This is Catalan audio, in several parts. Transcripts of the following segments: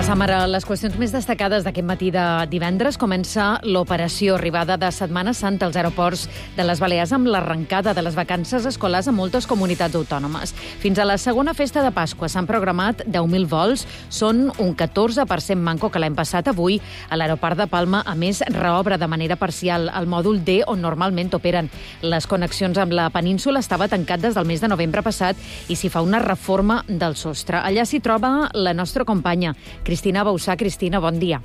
Repassam ara les qüestions més destacades d'aquest matí de divendres. Comença l'operació arribada de Setmana Santa als aeroports de les Balears amb l'arrencada de les vacances escolars a moltes comunitats autònomes. Fins a la segona festa de Pasqua s'han programat 10.000 vols. Són un 14% manco que l'any passat. Avui, a l'aeroport de Palma, a més, reobre de manera parcial el mòdul D, on normalment operen les connexions amb la península. Estava tancat des del mes de novembre passat i s'hi fa una reforma del sostre. Allà s'hi troba la nostra companya, Cristina Bausà. Cristina, bon dia.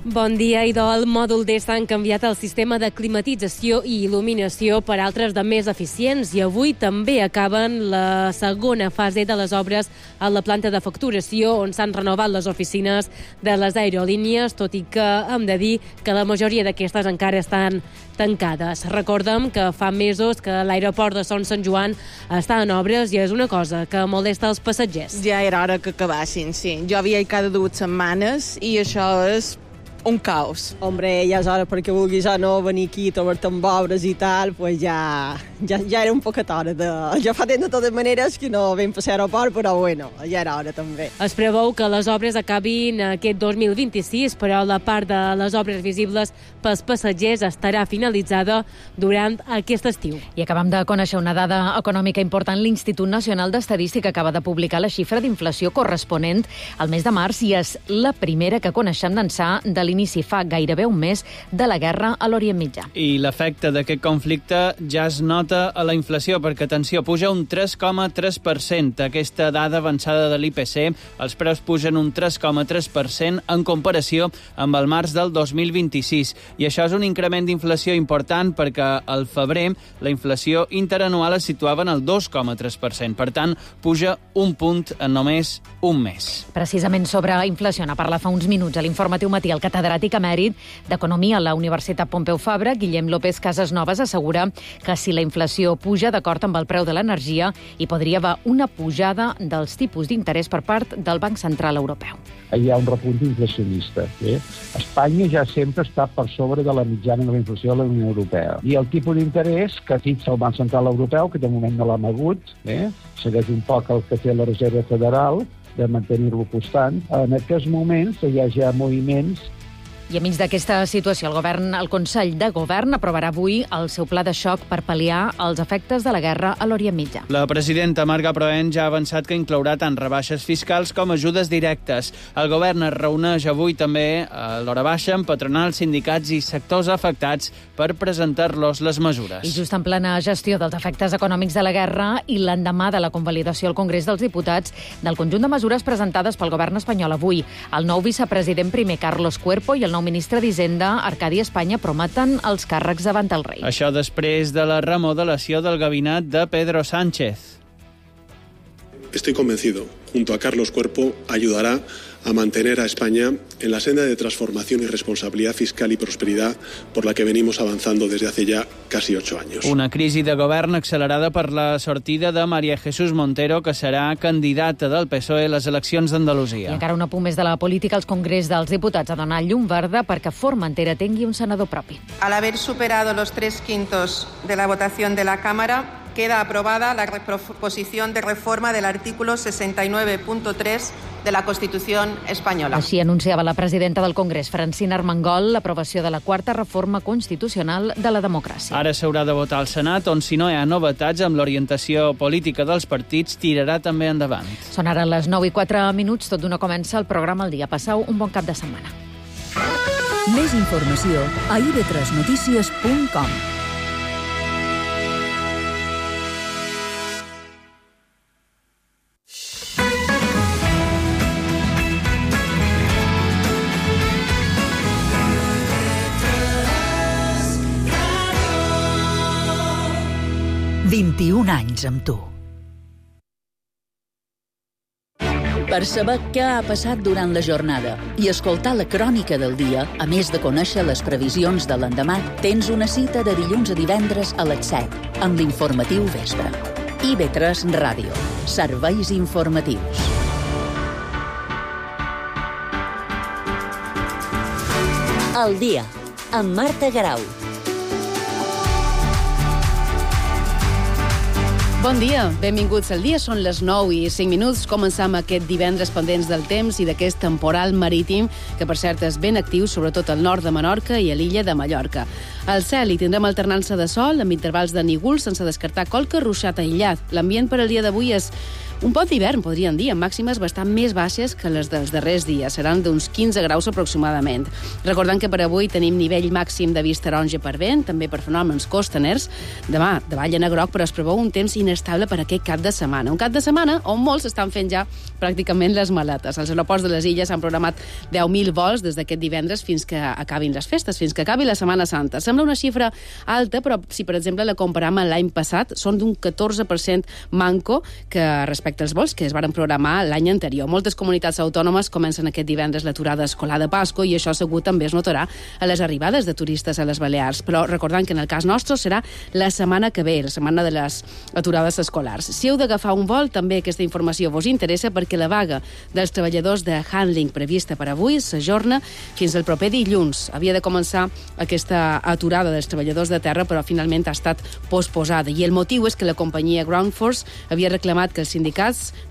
Bon dia, idò. Al mòdul D s'han canviat el sistema de climatització i il·luminació per altres de més eficients i avui també acaben la segona fase de les obres a la planta de facturació on s'han renovat les oficines de les aerolínies, tot i que hem de dir que la majoria d'aquestes encara estan tancades. Recordem que fa mesos que l'aeroport de Son Sant Joan està en obres i és una cosa que molesta els passatgers. Ja era hora que acabassin, sí. Jo havia cada 2 setmanes i això és un caos. Hombre, ja és hora perquè vulguis o no venir aquí, trobar-te amb obres i tal, pues ja era un poquet hora. Ja fa temps de totes maneres que no vam passar a l'aeroport, però bueno, ja era hora també. Es preveu que les obres acabin aquest 2026, però la part de les obres visibles pels passatgers estarà finalitzada durant aquest estiu. I acabem de conèixer una dada econòmica important. L'Institut Nacional d'Estadística acaba de publicar la xifra d'inflació corresponent al mes de març i és la primera que coneixem d'ençà de l'inici fa gairebé un mes de la guerra a l'Orient Mitjà. I l'efecte d'aquest conflicte ja es nota a la inflació, perquè, atenció, puja un 3,3%. Aquesta dada avançada de l'IPC, els preus pugen un 3,3% en comparació amb el març del 2026. I això és un increment d'inflació important perquè al febrer la inflació interanual es situava en el 2,3%. Per tant, puja un punt en només un mes. Precisament sobre inflació n'ha parlat fa uns minuts a l'Informatiu Matí el catedràtic emèrit d'Economia a la Universitat Pompeu Fabra, Guillem López Casasnovas, assegura que si la inflació puja d'acord amb el preu de l'energia, hi podria haver una pujada dels tipus d'interès per part del Banc Central Europeu. Hi ha un repunt inflacionista. Espanya ja sempre està per sobre de la mitjana de la inflació de la Unió Europea. I el tipus d'interès que fixa el Banc Central Europeu, que de moment no l'ha mogut, segueix un poc el que té la Reserva Federal, de mantenir-lo constant. En aquests moments hi ha ja moviments. I enmig d'aquesta situació, el Consell de Govern aprovarà avui el seu pla de xoc per pal·liar els efectes de la guerra a l'Orient Mitjà. La presidenta Marga Proen ja ha avançat que inclourà tant rebaixes fiscals com ajudes directes. El govern es reuneix avui també a l'hora baixa amb patronals, sindicats i sectors afectats per presentar-los les mesures. I just en plena gestió dels efectes econòmics de la guerra i l'endemà de la convalidació al Congrés dels Diputats del conjunt de mesures presentades pel govern espanyol avui, el nou vicepresident primer Carlos Cuerpo i el nou ministre d'Hisenda, Arcadi Espanya, prometen els càrrecs davant el rei. Això després de la remodelació del gabinet de Pedro Sánchez. Estoy convencido, junto a Carlos Cuerpo, ayudará a mantener a España en la senda de transformación y responsabilidad fiscal y prosperidad por la que venimos avanzando desde hace ya casi 8 años. Una crisi de govern accelerada per la sortida de María Jesús Montero, que serà candidata del PSOE a les eleccions d'Andalusia. I encara un apunt més de la política. El Congrés dels Diputats ha donat llum verda perquè Formentera tingui un senador propi. Al haber superado los 3/5 de la votación de la Cámara, queda aprobada la proposición de reforma del artículo 69.3 de la Constitución espanyola. Així anunciava la presidenta del Congrés, Francina Armengol, l'aprovació de la quarta reforma constitucional de la democràcia. Ara s'haurà de votar al Senat, on si no hi ha novetats amb l'orientació política dels partits, tirarà també endavant. Són ara les 9:04, tot d'una comença el programa El Dia. Passeu un bon cap de setmana. Més informació a ib3notícies.com. ...21 anys amb tu. Per saber què ha passat durant la jornada i escoltar la crònica del dia, a més de conèixer les previsions de l'endemà, tens una cita de dilluns a divendres a les 7, amb l'informatiu Vespre. IB3 Ràdio. Serveis informatius. El dia, amb Marta Garau. Bon dia, benvinguts al dia. Són les 9:05. Comencem aquest divendres pendents del temps i d'aquest temporal marítim, que per cert és ben actiu, sobretot al nord de Menorca i a l'illa de Mallorca. Al cel hi tindrem alternança de sol amb intervals de nígols sense descartar qualque ruixat aïllat. L'ambient per al dia d'avui és un pot d'hivern, podríem dir, amb màximes bastant més baixes que les dels darrers dies. Seran d'uns 15 graus aproximadament. Recordant que per avui tenim nivell màxim de vist taronja per vent, també per fenòmens costaners. Demà, davallen a groc, però es preveu un temps inestable per aquest cap de setmana. Un cap de setmana on molts estan fent ja pràcticament les maletes. Els aeroports de les illes han programat 10.000 vols des d'aquest divendres fins que acabin les festes, fins que acabi la Setmana Santa. Sembla una xifra alta, però si, per exemple, la comparam amb l'any passat, són d'un 14% manco que respecte als vols que es varen programar l'any anterior. Moltes comunitats autònomes comencen aquest divendres l'aturada escolar de Pasqua i això segur també es notarà a les arribades de turistes a les Balears. Però recordant que en el cas nostre serà la setmana que ve, la setmana de les aturades escolars. Si heu d'agafar un vol, també aquesta informació vos interessa perquè la vaga dels treballadors de Handling prevista per avui s'ajorna fins al proper dilluns. Havia de començar aquesta aturada dels treballadors de terra, però finalment ha estat posposada. I el motiu és que la companyia Ground Force havia reclamat que els sindicats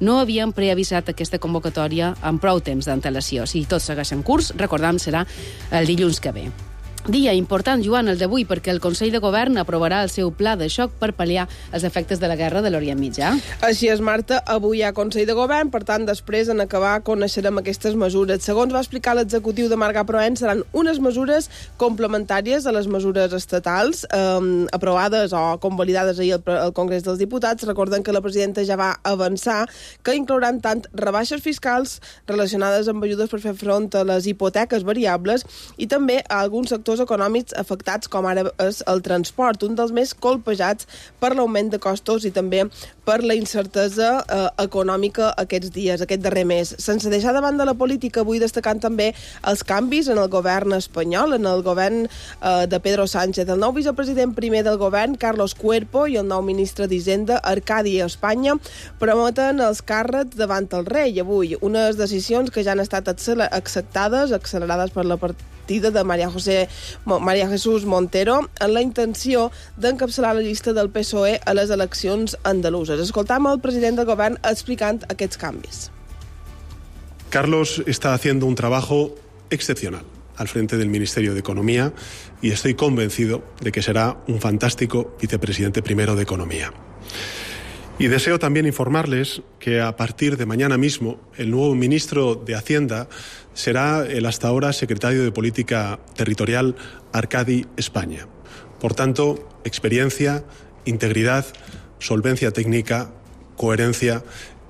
no havien preavisat aquesta convocatòria amb prou temps d'antelació. Si tots segueixen curs, recordem, serà el dilluns que ve. Dia important, Joan, el d'avui, perquè el Consell de Govern aprovarà el seu pla de xoc per pal·liar els efectes de la guerra de l'Orient Mitjà. Així és, Marta. Avui hi ha Consell de Govern, per tant, després, en acabar, coneixerem aquestes mesures. Segons va explicar l'executiu de Marga Proen, seran unes mesures complementàries a les mesures estatals aprovades o convalidades ahir al Congrés dels Diputats. Recorden que la presidenta ja va avançar que inclouran tant rebaixes fiscals relacionades amb ajudes per fer front a les hipoteques variables i també a alguns sectors econòmics afectats, com ara és el transport, un dels més colpejats per l'augment de costos i també per la incertesa econòmica aquests dies, aquest darrer mes. Sense deixar de banda la política, vull destacant també els canvis en el govern espanyol, en el govern de Pedro Sánchez. El nou vicepresident primer del govern, Carlos Cuerpo, i el nou ministre d'Hisenda, Arcadi Espanya, prometen els càrrecs davant el rei avui. Unes decisions que ja han estat accelerades per la partida de María Jesús Montero en la intenció d'encapçalar la llista del PSOE a les eleccions andaluses. Escoltam el president del govern explicant aquests canvis. Carlos está haciendo un trabajo excepcional al frente del Ministerio de Economía y estoy convencido de que será un fantástico vicepresidente primero de Economía. Y deseo también informarles que a partir de mañana mismo el nuevo ministro de Hacienda será el hasta ahora secretario de Política Territorial Arcadi España. Por tanto, experiencia, integridad, solvencia técnica, coherencia.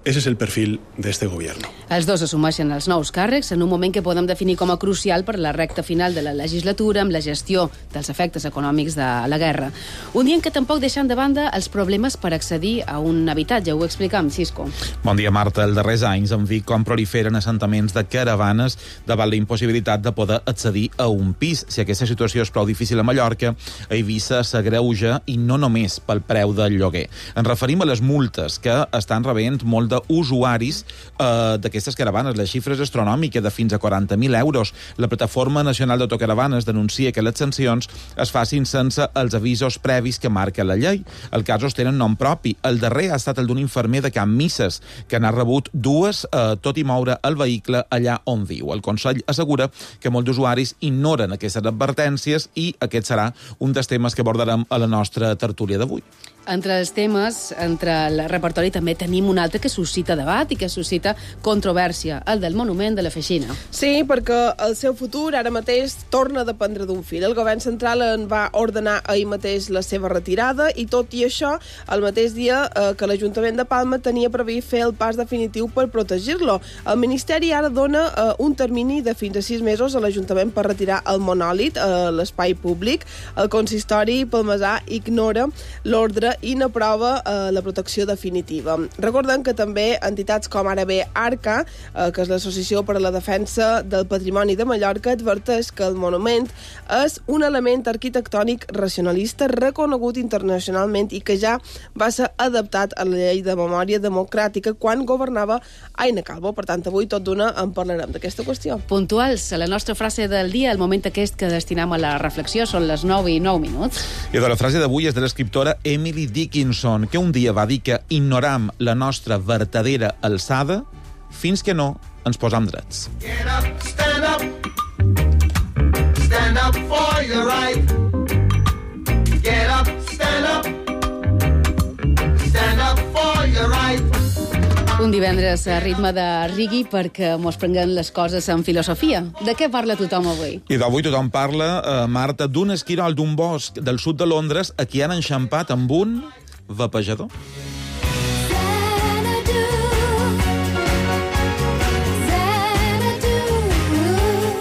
Ese es el perfil de este gobierno. Els dos assumeixen els nous càrrecs en un moment que podem definir com a crucial per la recta final de la legislatura amb la gestió dels efectes econòmics de la guerra. Un dia en què tampoc deixant de banda els problemes per accedir a un habitatge. Ho explicam, Cisco. Bon dia, Marta. Els darrers anys hem vist com proliferen assentaments de caravanes davant la impossibilitat de poder accedir a un pis. Si aquesta situació és prou difícil a Mallorca, a Eivissa s'agreuja i no només pel preu del lloguer. Ens referim a les multes que estan rebent molt usuaris d'aquestes caravanes. La xifra és astronòmica, de fins a 40.000 euros. La Plataforma Nacional d'Autocaravanes denuncia que les sancions es facin sense els avisos previs que marca la llei. Els casos tenen nom propi. El darrer ha estat el d'un infermer de Can Misses, que n'ha rebut dues, tot i moure el vehicle allà on viu. El Consell assegura que molts usuaris ignoren aquestes advertències i aquest serà un dels temes que abordarem a la nostra tertúlia d'avui. Entre els temes, entre el repertori, també tenim un altre que suscita debat i que suscita controvèrsia, el del monument de la Feixina. Sí, perquè el seu futur ara mateix torna a dependre d'un fil. El govern central en va ordenar ahir mateix la seva retirada i tot i això, el mateix dia que l'Ajuntament de Palma tenia previst fer el pas definitiu per protegir-lo. El Ministeri ara dona un termini de fins a 6 mesos a l'Ajuntament per retirar el monòlit a l'espai públic. El consistori palmesà ignora l'ordre i n'aprova la protecció definitiva. Recordem que també també entitats com ara bé Arca, que és l'Associació per a la Defensa del Patrimoni de Mallorca, adverteix que el monument és un element arquitectònic racionalista reconegut internacionalment i que ja va ser adaptat a la llei de memòria democràtica quan governava Aina Calvo. Per tant, avui tot d'una en parlarem d'aquesta qüestió. Puntuals, a la nostra frase del dia, el moment aquest que destinem a la reflexió, són les 9:09. I la frase d'avui és de l'escriptora Emily Dickinson, que un dia va dir que ignoram la nostra vertadera alçada fins que no ens posam drets. Get up, stand up. Stand up for your right. Get up, stand up. Stand up for your right. Un divendres a ritme de rigui perquè mos prenguem les coses en filosofia. De què parla tothom avui? I d'avui tothom parla, Marta, d'un esquirol d'un bosc del sud de Londres a qui han enxampat amb un vapejador.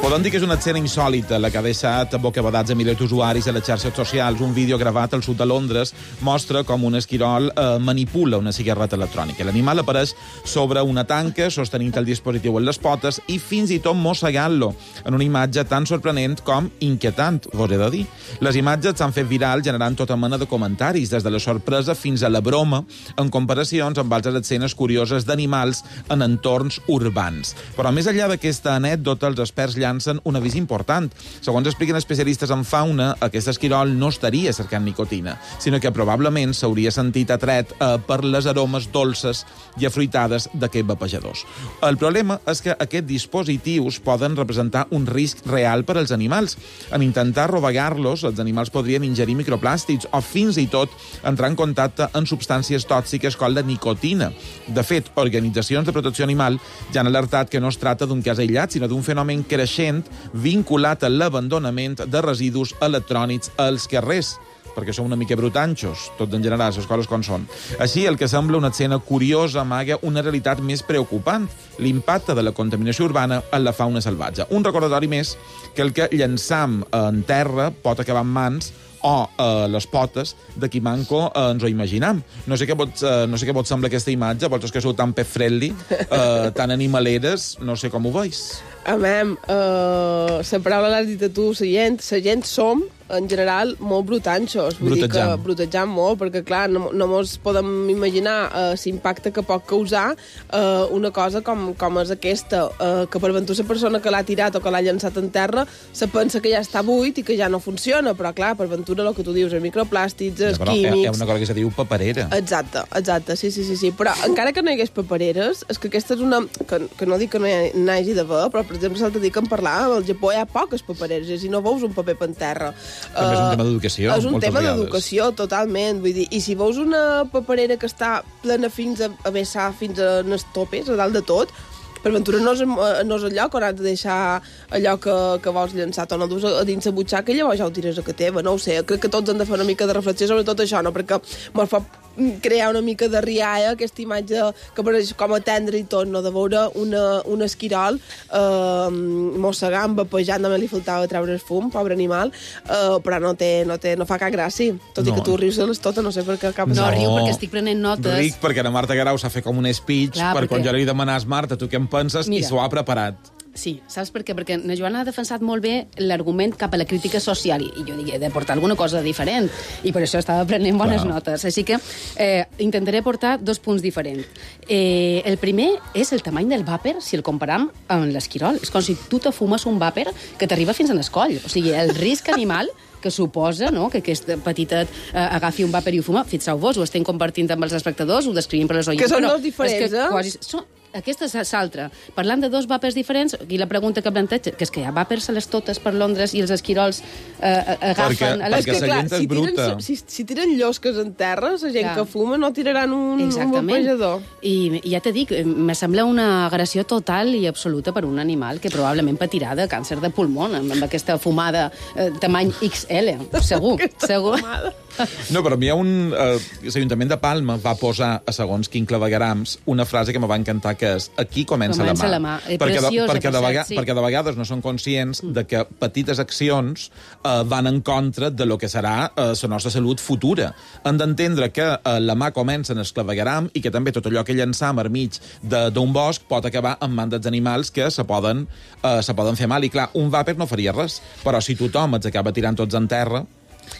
Podem dir que és una escena insòlita, la que ha deixat bocabadats a milers d'usuaris a les xarxes socials. Un vídeo gravat al sud de Londres mostra com un esquirol manipula una cigarreta electrònica. L'animal apareix sobre una tanca, sostenint el dispositiu en les potes i fins i tot mossegant-lo, en una imatge tan sorprenent com inquietant, vos he de dir. Les imatges s'han fet viral generant tota mena de comentaris, des de la sorpresa fins a la broma, en comparacions amb altres escenes curioses d'animals en entorns urbans. Però més enllà d'aquesta anècdota, els experts llancen un avís important. Segons expliquen especialistes en fauna, aquest esquirol no estaria cercant nicotina, sinó que probablement s'hauria sentit atret per les aromes dolces i afruitades d'aquests vapejadors. El problema és que aquests dispositius poden representar un risc real per als animals. En intentar rovegar-los, els animals podrien ingerir microplàstics o fins i tot entrar en contacte amb substàncies tòxiques com la nicotina. De fet, organitzacions de protecció animal ja han alertat que no es tracta d'un cas aïllat, sinó d'un fenomen creixent vinculat a l'abandonament de residus electrònics als carrers, perquè som una mica brutanxos, tots en general, les coses com són. Així, el que sembla una escena curiosa amaga una realitat més preocupant, l'impacte de la contaminació urbana en la fauna salvatge. Un recordatori més que el que llençam en terra pot acabar en mans o les potes de qui manco ens ho imaginam. No sé què vos sembla aquesta imatge, vosaltres que sou tan pet-friendly, tan animaleres, no sé com ho veus. A mi, la paraula l'has dit a tu, la gent som, en general, molt brutanxos. Vull dir que brutejam molt, perquè, clar, no mos podem imaginar l'impacte que pot causar una cosa com és aquesta, que per ventura la persona que l'ha tirat o que l'ha llançat en terra se pensa que ja està buit i que ja no funciona, però, clar, per ventura el que tu dius, els microplàstics, els químics... Hi ha una cosa que se diu paperera. Exacte, sí. Però encara que no hi hagués papereres, és que aquesta és una... que no dic que no hi hagi d'haver, però, per exemple, l'altre dia que em parlava, al Japó hi ha poques papereres, i no veus un paper per terra. També és un tema d'educació, és un tema d'educació, totalment. Vull dir, i si veus una paperera que està plena fins a vessar, fins a les topes, a dalt de tot, per ventura no és el lloc on has de deixar allò que vols llançar, o no dus a dins la butxaca i llavors ja ho tires a que teva, no ho sé. Crec que tots han de fer una mica de reflexió sobre tot això, no? Perquè mos fa crear una mica de rialla, aquesta imatge que apareix com a tendre i tot, no? De veure un esquirol mossegant, vapejant, només li faltava treure el fum, pobre animal, però no fa cap gràcia. Tot i que tu rius de les totes, no sé per què cap... No, riu perquè estic prenent notes. Ric perquè la Marta Guerau s'ha fet com un speech per quan jo li demanàs, Marta, tu què en penses? I s'ho ha preparat. Sí, saps per què? Perquè na Joana ha defensat molt bé l'argument cap a la crítica social i jo dic, he de portar alguna cosa diferent i per això estava prenent bones notes. Així que intentaré portar 2 punts diferents. El primer és el tamany del vàper si el comparam amb l'esquirol. És com si tu te fumes un vàper que t'arriba fins a l'escoll. O sigui, el risc animal que suposa, no?, que aquest petitet agafi un vàper i ho fuma, fixeu-vos, ho estem compartint amb els espectadors, ho descrivim per les oients. Que són dos diferents, Aquesta és l'altra. Parlant de 2 vàpers diferents, i la pregunta que planteja, que és que hi ha vàpers a les totes per Londres i els esquirols agafen... Perquè la gent és bruta. Si tiren llosques en terra, la gent que fuma no tiraran un vapejador. I ja t'he dit, me sembla una agressió total i absoluta per un animal que probablement patirà de càncer de pulmó amb aquesta fumada tamany XL. Segur. No, però a mi l'Ajuntament de Palma va posar a segons quin claveguerams una frase que me va encantar, que que és aquí comença la mà. Perquè de vegades no són conscients de que petites accions van en contra de lo que serà la nostra salut futura. Hem d'entendre que la mà comença en el clavegueram i que també tot allò que llançam al mig d'un bosc pot acabar en mans dels animals que se poden fer mal. I clar, un vàper no faria res, però si tothom els acaba tirant tots en terra...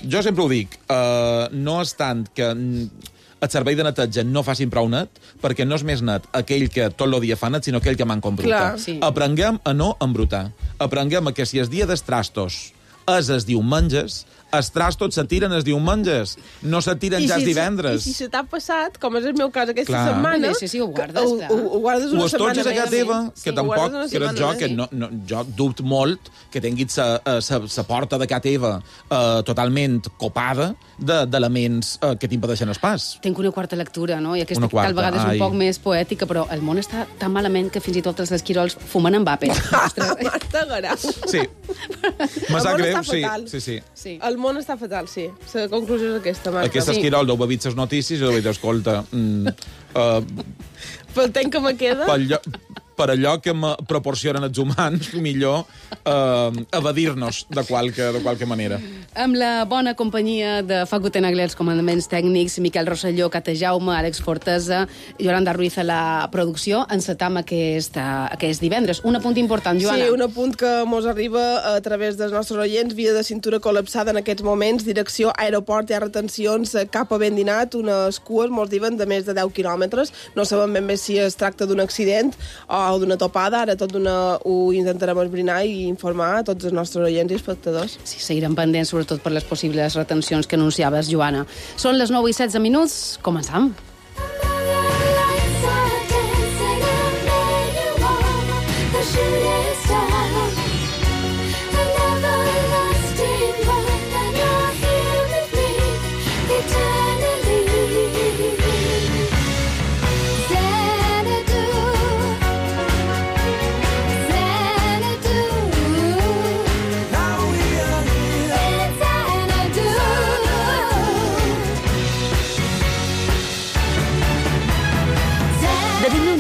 Jo sempre ho dic, no és tant que el servei de neteja no facin prou net, perquè no és més net aquell que tot el dia fa net, sinó aquell que manca embrutar. Sí. Aprenguem a no embrutar. Aprenguem que si el dia dels trastos és els diumenges, els trastos se tiren els diumenges, no se tiren ja els divendres. I si se t'ha passat, com és el meu cas aquesta Clar. setmana... Sí, ho guardes. Ho guardes una setmana. Ho estotges a casa teva, que tampoc, que eres jo, que jo dubto molt que tinguis la porta de casa teva totalment copada d'elements que t'impedeixen el pas. Tinc una quarta lectura, no? I aquesta tal vegada és un poc més poètica, però el món està tan malament que fins i tot els esquirols fumen en vàper. Marta Garau. Sí. Me sap greu, sí. El món està fatal, sí. La conclusió és aquesta, Marta. Aquest esquirol d'ho bevit les notícies i d'ho dit, escolta... Pel temps que me queda... Per allò que me proporcionen els humans, millor evadir-nos de qualque manera. Amb la bona companyia de Facu Tenagler, els comandaments tècnics, Miquel Rosselló, Cata Jaume, Àlex Fortesa, Yolanda Ruiz a la producció, encetam aquest divendres. Un apunt important, Joana. Sí, un apunt que mos arriba a través dels nostres oients, via de cintura col·lapsada en aquests moments, direcció aeroport, hi ha retencions cap a Bendinat, unes cues, mos diuen, de més de 10 quilòmetres. No sabem ben bé si es tracta d'un accident o d'una topada, ara ho intentarem esbrinar i informar a tots els nostres oients i espectadors. Sí, seguirem pendents, sobretot per les possibles retencions que anunciaves, Joana. Són les 9:16, començam.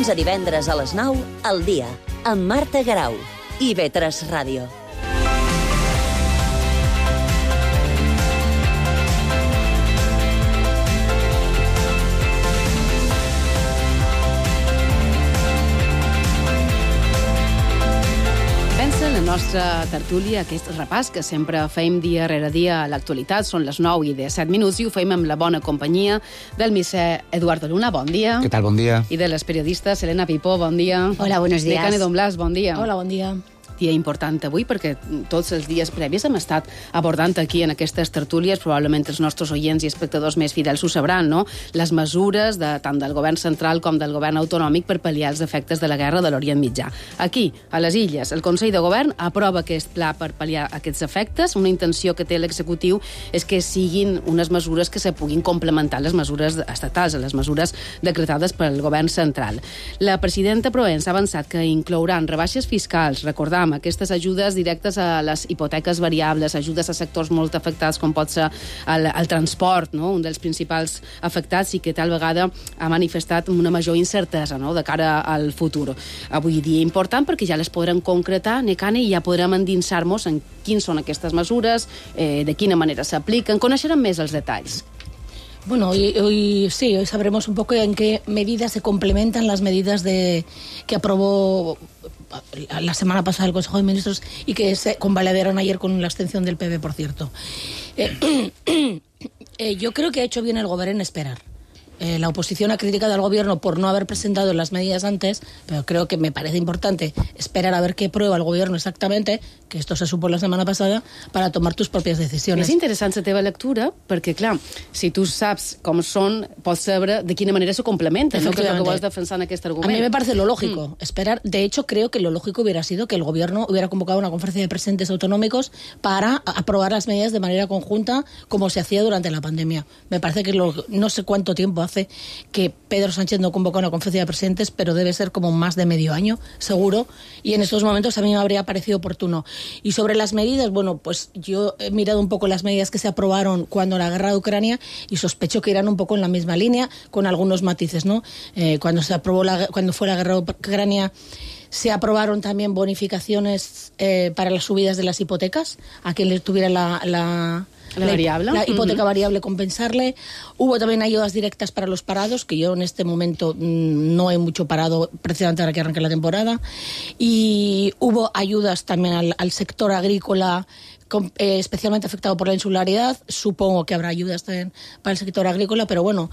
A divendres a les 9, al dia, amb Marta Garau i IB3 Ràdio. La nostra tertúlia, aquest repàs que sempre fem dia rere dia a l'actualitat, són les 9:17 i ho fem amb la bona companyia del misser Eduardo Luna, bon dia. Què tal, bon dia. I de les periodistes Elena Pipó, bon dia. Hola, buenos días. De Cane Don Blas, bon dia. Hola, bon dia. Dia important avui perquè tots els dies previs hem estat abordant aquí en aquestes tertúlies, probablement els nostres oients i espectadors més fidels ho sabran, no? Les mesures tant del govern central com del govern autonòmic per pal·liar els efectes de la guerra de l'Orient Mitjà. Aquí, a les Illes, el Consell de Govern aprova aquest pla per pal·liar aquests efectes. Una intenció que té l'executiu és que siguin unes mesures que se puguin complementar les mesures estatals, les mesures decretades pel govern central. La presidenta Provença ha avançat que inclouran rebaixes fiscals, recordam, aquestes ajudes directes a les hipoteques variables, ajudes a sectors molt afectats com pot ser el transport, no? Un dels principals afectats i que tal vegada ha manifestat una major incertesa, no? De cara al futur. Avui dia important perquè ja les podrem concretar, Necane, i ja podrem endinsar-nos en quins són aquestes mesures, de quina manera s'apliquen, coneixerem més els detalls. Bueno, hoy sabremos un poco en qué medidas se complementan las medidas que aprobó la semana pasada el Consejo de Ministros y que se convalidaron ayer con la abstención del PP, por cierto. Yo creo que ha hecho bien el Gobierno en esperar. La oposición ha criticado al Gobierno por no haber presentado las medidas antes, pero creo que me parece importante esperar a ver qué prueba el Gobierno exactamente, que esto se supo la setmana passada, para tomar tus propias decisiones. És interessant la teva lectura, perquè, clar, si tu saps com són, pots saber de quina manera se complementen, no? Que és el que vols defensar en aquest argument. A mí me parece lo lógico, esperar. De hecho, creo que lo lógico hubiera sido que el Gobierno hubiera convocado una conferencia de presidentes autonómicos para aprobar las medidas de manera conjunta, como se hacía durante la pandemia. Me parece que no sé cuánto tiempo hace parece que Pedro Sánchez no convoca una conferencia de presidentes, pero debe ser como más de medio año, seguro, y en estos momentos a mí me habría parecido oportuno. Y sobre las medidas, bueno, pues yo he mirado un poco las medidas que se aprobaron cuando la guerra de Ucrania y sospecho que irán un poco en la misma línea, con algunos matices, ¿no? Cuando fue la guerra de Ucrania, se aprobaron también bonificaciones para las subidas de las hipotecas, a quien le tuviera la hipoteca variable, compensarle. Hubo también ayudas directas para los parados, que yo en este momento no hay mucho parado precisamente ahora que arranque la temporada. Y hubo ayudas también al sector agrícola, especialmente afectado por la insularidad. Supongo que habrá ayudas también para el sector agrícola, pero bueno,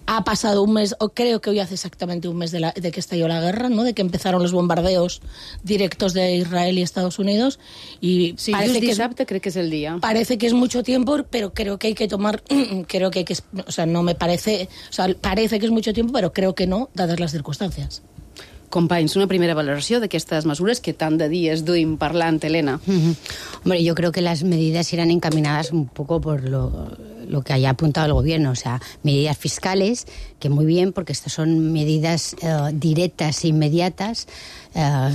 ha pasado un mes, o creo que hoy hace exactamente un mes de que estalló la guerra, ¿no? De que empezaron los bombardeos directos de Israel y Estados Unidos. Y sí, parece que dissabte crec que és el dia. Parece que es mucho tiempo, pero creo que hay que tomar, o sea, no me parece, o sea, parece que es mucho tiempo, pero creo que no, dadas las circunstancias. Companys, una primera valoració d'aquestes mesures que tant de dies duim parlant, Elena. Hombre, yo creo que las medidas irán encaminadas un poco por lo que haya apuntado el gobierno, o sea, medidas fiscales, que muy bien, porque estas son medidas directas e inmediatas,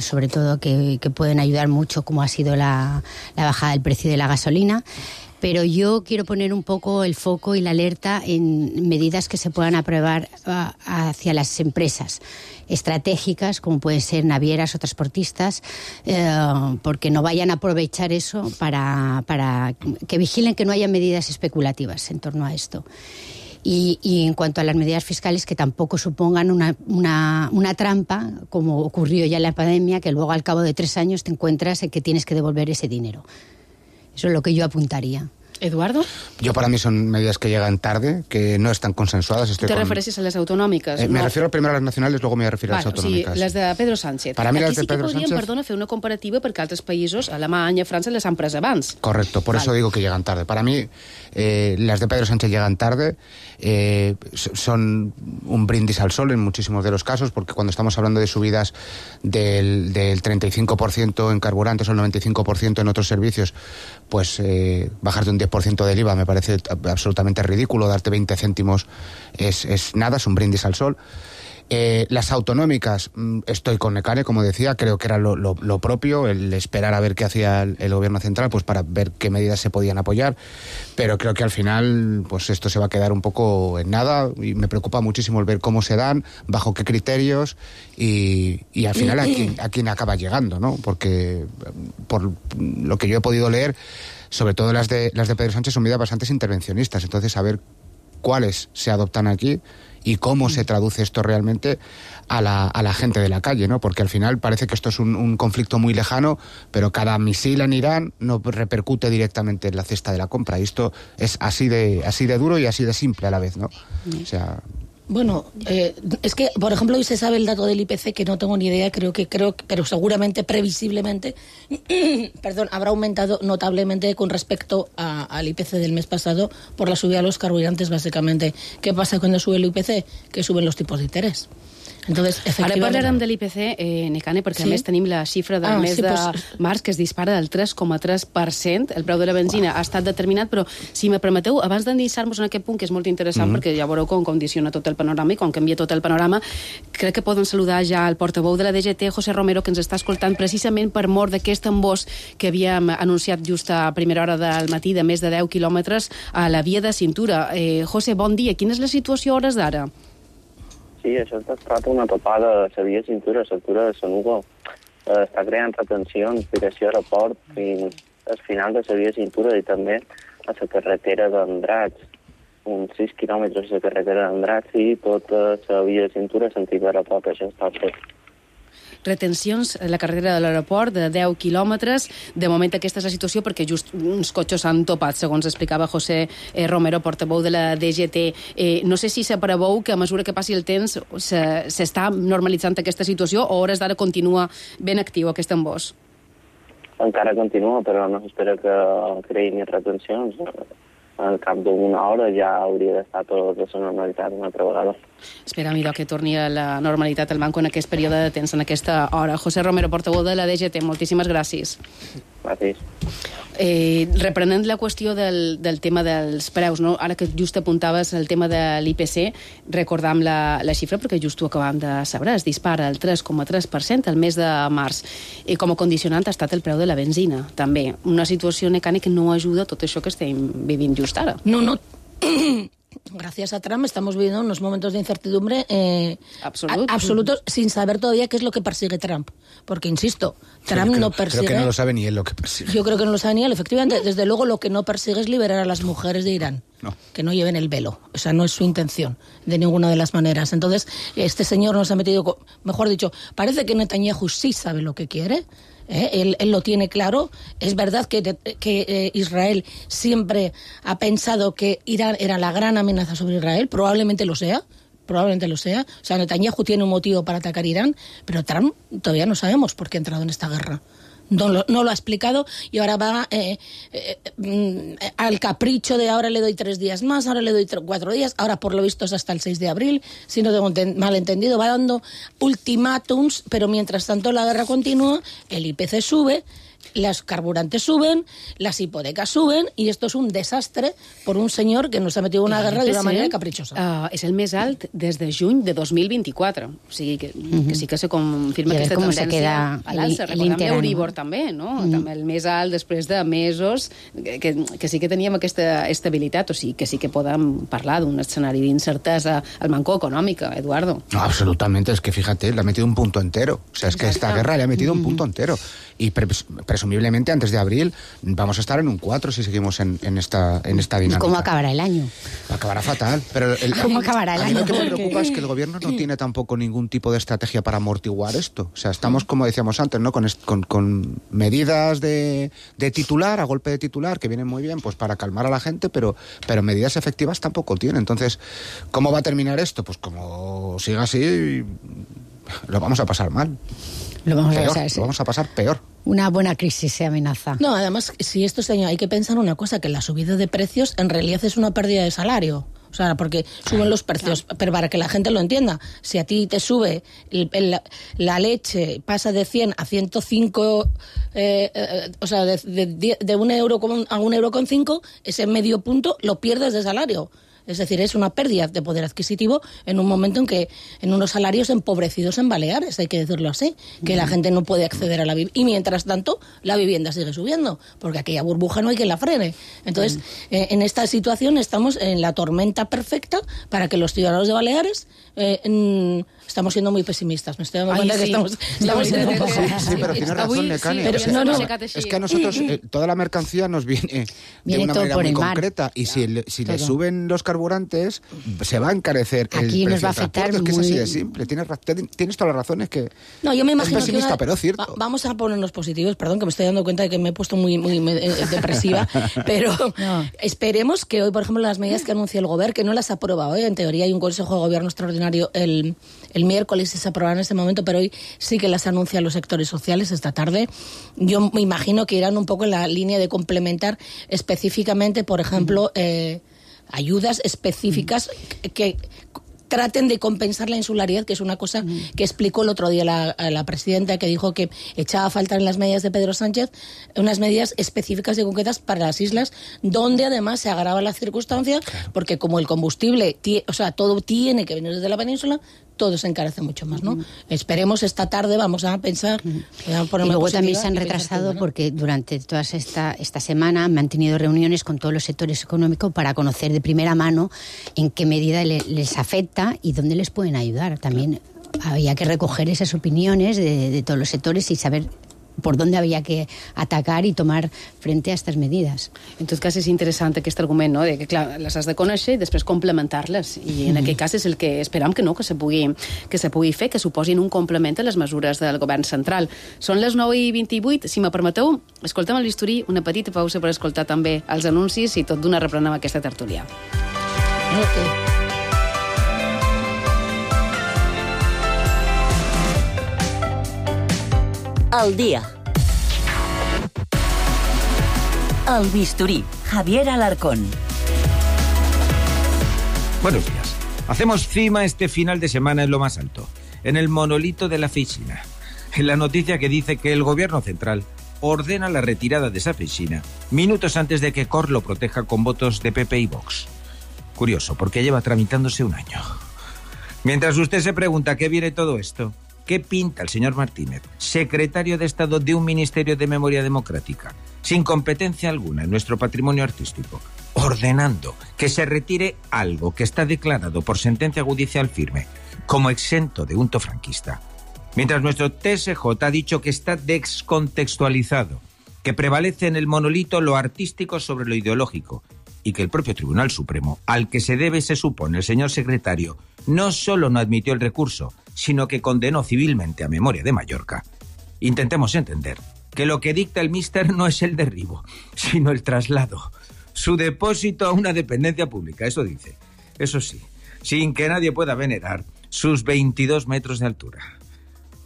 sobre todo que pueden ayudar mucho, como ha sido la bajada del precio de la gasolina. Pero yo quiero poner un poco el foco y la alerta en medidas que se puedan aprobar hacia las empresas estratégicas, como pueden ser navieras o transportistas, porque no vayan a aprovechar eso para que vigilen que no haya medidas especulativas en torno a esto. Y en cuanto a las medidas fiscales, que tampoco supongan una trampa, como ocurrió ya en la pandemia, que luego al cabo de 3 años te encuentras en que tienes que devolver ese dinero. Eso es lo que yo apuntaría. Eduardo? Yo, para mí, son medidas que llegan tarde, que no están consensuadas. ¿Te refereixes a les autonòmiques? Me refiero primero a las nacionales, luego me voy a referir a las autonòmiques. O sigui, les de Pedro Sánchez. Para mí aquí las de sí que Pedro podríem, Sánchez... perdona, fer una comparativa perquè altres països, Alemanya, França, les han pres abans. Correcto, por eso digo que llegan tarde. Para mí, las de Pedro Sánchez llegan tarde, son un brindis al sol en muchísimos de los casos, porque cuando estamos hablando de subidas del 35% en carburantes o el 95% en otros servicios, pues bajar de un 10% del IVA me parece absolutamente ridículo. Darte 20 céntimos es nada, es un brindis al sol. Las autonómicas, estoy con Nekane, como decía, creo que era lo propio, el esperar a ver qué hacía el gobierno central, pues para ver qué medidas se podían apoyar, pero creo que al final pues esto se va a quedar un poco en nada, y me preocupa muchísimo el ver cómo se dan, bajo qué criterios y al final a quién acaba llegando, ¿no? Porque por lo que yo he podido leer, sobre todo las de Pedro Sánchez, son medidas bastante intervencionistas, entonces a ver cuáles se adoptan aquí y cómo se traduce esto realmente a la gente de la calle, ¿no? Porque al final parece que esto es un conflicto muy lejano, pero cada misil en Irán no repercute directamente en la cesta de la compra, y esto es así de duro y así de simple a la vez, ¿no? O sea... Bueno, es que, por ejemplo, hoy se sabe el dato del IPC, que no tengo ni idea, pero seguramente, previsiblemente, habrá aumentado notablemente con respecto al IPC del mes pasado por la subida de los carburantes, básicamente. ¿Qué pasa cuando sube el IPC? Que suben los tipos de interés. Entonces, ara parlarem de l'IPC, Nekane, perquè a més tenim la xifra del mes de març, que es dispara del 3,3%. El preu de la benzina ha estat determinat, però si me permeteu, abans d'endinsar-nos en aquest punt, que és molt interessant, perquè ja veureu com condiciona tot el panorama, i com canvia tot el panorama, crec que poden saludar ja el portaveu de la DGT, José Romero, que ens està escoltant precisament per mort d'aquest embòs que havíem anunciat just a primera hora del matí, de més de 10 quilòmetres a la via de cintura. José, bon dia. Quina és la situació a hores d'ara? Sí, això ha estat una topada a la via cintura, a l'altura de Sanugo. Està creant retencions direcció a aeroport fins al final de la via cintura i també a la carretera d'Andratx, uns 6 quilòmetres a la carretera d'Andratx i tota la via cintura sentit aeroport, això està fet. Retencions a la carretera de l'aeroport de 10 quilòmetres. De moment aquesta és la situació perquè just uns cotxes s'han topat, segons explicava José Romero, portaveu de la DGT. No sé si s'apreveu que a mesura que passi el temps s'està normalitzant aquesta situació o a hores d'ara continua ben actiu aquest embòs? Encara continua, però no s'espera que creïn retencions. Al cap d'una hora ja hauria d'estar tot a la normalitat una altra vegada. Esperam, idò, que torni a la normalitat el banco en aquest període de temps, en aquesta hora. José Romero, portaveu de la DGT, moltíssimes gràcies. mateix. Reprenent la qüestió del tema dels preus, no? Ara que just apuntaves el tema de l'IPC, recordam la xifra perquè just ho acabam de saber, es dispara el 3,3% el mes de març, i com a condicionant ha estat el preu de la benzina, també. Una situació mecànica que no ajuda a tot això que estem vivint just ara. No. Gracias a Trump estamos viviendo unos momentos de incertidumbre absolutos, sin saber todavía qué es lo que persigue Trump. Porque, insisto, Trump no persigue... Creo que no lo sabe ni él lo que persigue. Yo creo que no lo sabe ni él, efectivamente. Desde luego, lo que no persigue es liberar a las mujeres de Irán. No. Que no lleven el velo. O sea, no es su intención, de ninguna de las maneras. Entonces, este señor nos ha metido... Mejor dicho, parece que Netanyahu sí sabe lo que quiere. Él lo tiene claro. Es verdad que Israel siempre ha pensado que Irán era la gran amenaza sobre Israel. Probablemente lo sea. O sea, Netanyahu tiene un motivo para atacar Irán, pero Trump todavía no sabemos por qué ha entrado en esta guerra. No lo ha explicado y ahora va al capricho de ahora le doy 3 días más, ahora le doy 4 días, ahora por lo visto es hasta el 6 de abril, si no tengo mal entendido, va dando ultimátums, pero mientras tanto la guerra continúa, el IPC sube, los carburantes suben, las hipotecas suben, i esto es un desastre por un senyor que nos ha metido una guerra de una manera caprichosa. És el més alt des de juny de 2024. O sigui que sí que se confirma aquesta tendència a l'alça. Recordem l'Euribor també, no? També el més alt després de mesos que sí que teníem aquesta estabilitat. O sigui que sí que podem parlar d'un escenari d'incertesa al manco econòmica, Eduardo. No, absolutamente. Es que fíjate, le ha metido un punto entero. O sea, es que esta guerra le ha metido un punto entero. Y presumiblemente antes de abril vamos a estar en un 4 si seguimos en esta dinámica. ¿Y cómo acabará el año? Acabará fatal. Pero ¿Cómo acabará el año? Lo que me preocupa es que el gobierno no tiene tampoco ningún tipo de estrategia para amortiguar esto. O sea, estamos, como decíamos antes, ¿no? Con medidas de titular, a golpe de titular, que vienen muy bien pues para calmar a la gente, pero medidas efectivas tampoco tiene. Entonces, ¿cómo va a terminar esto? Pues como siga así, lo vamos a pasar mal. Lo vamos a pasar peor. Una buena crisis se amenaza. No, además, si esto hay que pensar una cosa, que la subida de precios en realidad es una pérdida de salario. O sea, porque suben los precios, pero para que la gente lo entienda, si a ti te sube la leche, pasa de 100 a 105, o sea, de 1 euro a 1,5 euro, ese medio punto lo pierdes de salario. Es decir, es una pérdida de poder adquisitivo en un momento en que en unos salarios empobrecidos en Baleares, hay que decirlo así, que la gente no puede acceder a la vivienda. Y mientras tanto, la vivienda sigue subiendo, porque aquella burbuja no hay quien la frene. Entonces, en esta situación estamos en la tormenta perfecta para que los ciudadanos de Baleares estamos siendo muy pesimistas. Me estoy dando cuenta que estamos siendo un poco... Sí, pero tienes razón, Necani. Es que a nosotros toda la mercancía nos viene de una manera muy concreta. Y si le suben los carburantes, se va a encarecer el precio nos va a afectar del transporte. Es que es así de simple. Tienes todas las razones que... No, yo me imagino es pesimista, pero es cierto. Vamos a ponernos positivos. Perdón, que me estoy dando cuenta de que me he puesto muy depresiva. Pero esperemos que hoy, por ejemplo, las medidas que anuncia el Gobierno, que no las ha aprobado, en teoría hay un Consejo de Gobierno extraordinario el miércoles y se aprobarán en este momento, pero hoy sí que las anuncian los sectores sociales esta tarde. Yo me imagino que irán un poco en la línea de complementar específicamente, por ejemplo, ayudas específicas que traten de compensar la insularidad, que es una cosa que explicó el otro día la presidenta, que dijo que echaba a falta en las medidas de Pedro Sánchez unas medidas específicas y concretas para las islas, donde además se agrava la circunstancia, porque como el combustible, o sea, todo tiene que venir desde la península, todo se encarece mucho más, ¿no? Esperemos esta tarde, vamos a pensar... Y luego también se han retrasado porque durante toda esta semana han mantenido reuniones con todos los sectores económicos para conocer de primera mano en qué medida les afecta y dónde les pueden ayudar. También había que recoger esas opiniones de todos los sectores y saber por dónde havia que atacar i tomar frente a aquestes medides. En tot cas, és interessant aquest argument, no? De que, clar, les has de conèixer i després complementar-les. I en aquest cas és el que esperam que se pugui fer, que suposin un complement a les mesures del govern central. Són les 9:28. Si me permeteu, escoltem el bisturí, una petita pausa per escoltar també els anuncis i tot d'una reprenem aquesta tertúlia. Al día. El bisturí, Javier Alarcón. Buenos días. Hacemos cima este final de semana en lo más alto, en el monolito de la oficina, en la noticia que dice que el gobierno central ordena la retirada de Safeixina minutos antes de que Cort lo proteja con votos de PP y Vox. Curioso, porque lleva tramitándose un año. Mientras usted se pregunta qué viene todo esto, ¿qué pinta el señor Martínez, secretario de Estado de un Ministerio de Memoria Democrática, sin competencia alguna en nuestro patrimonio artístico, ordenando que se retire algo que está declarado por sentencia judicial firme como exento de unto franquista? Mientras nuestro TSJ ha dicho que está descontextualizado, que prevalece en el monolito lo artístico sobre lo ideológico, y que el propio Tribunal Supremo, al que se debe, se supone, el señor secretario, no solo no admitió el recurso, sino que condenó civilmente a Memoria de Mallorca. Intentemos entender que lo que dicta el míster no es el derribo, sino el traslado, su depósito a una dependencia pública, eso dice. Eso sí, sin que nadie pueda venerar sus 22 metros de altura.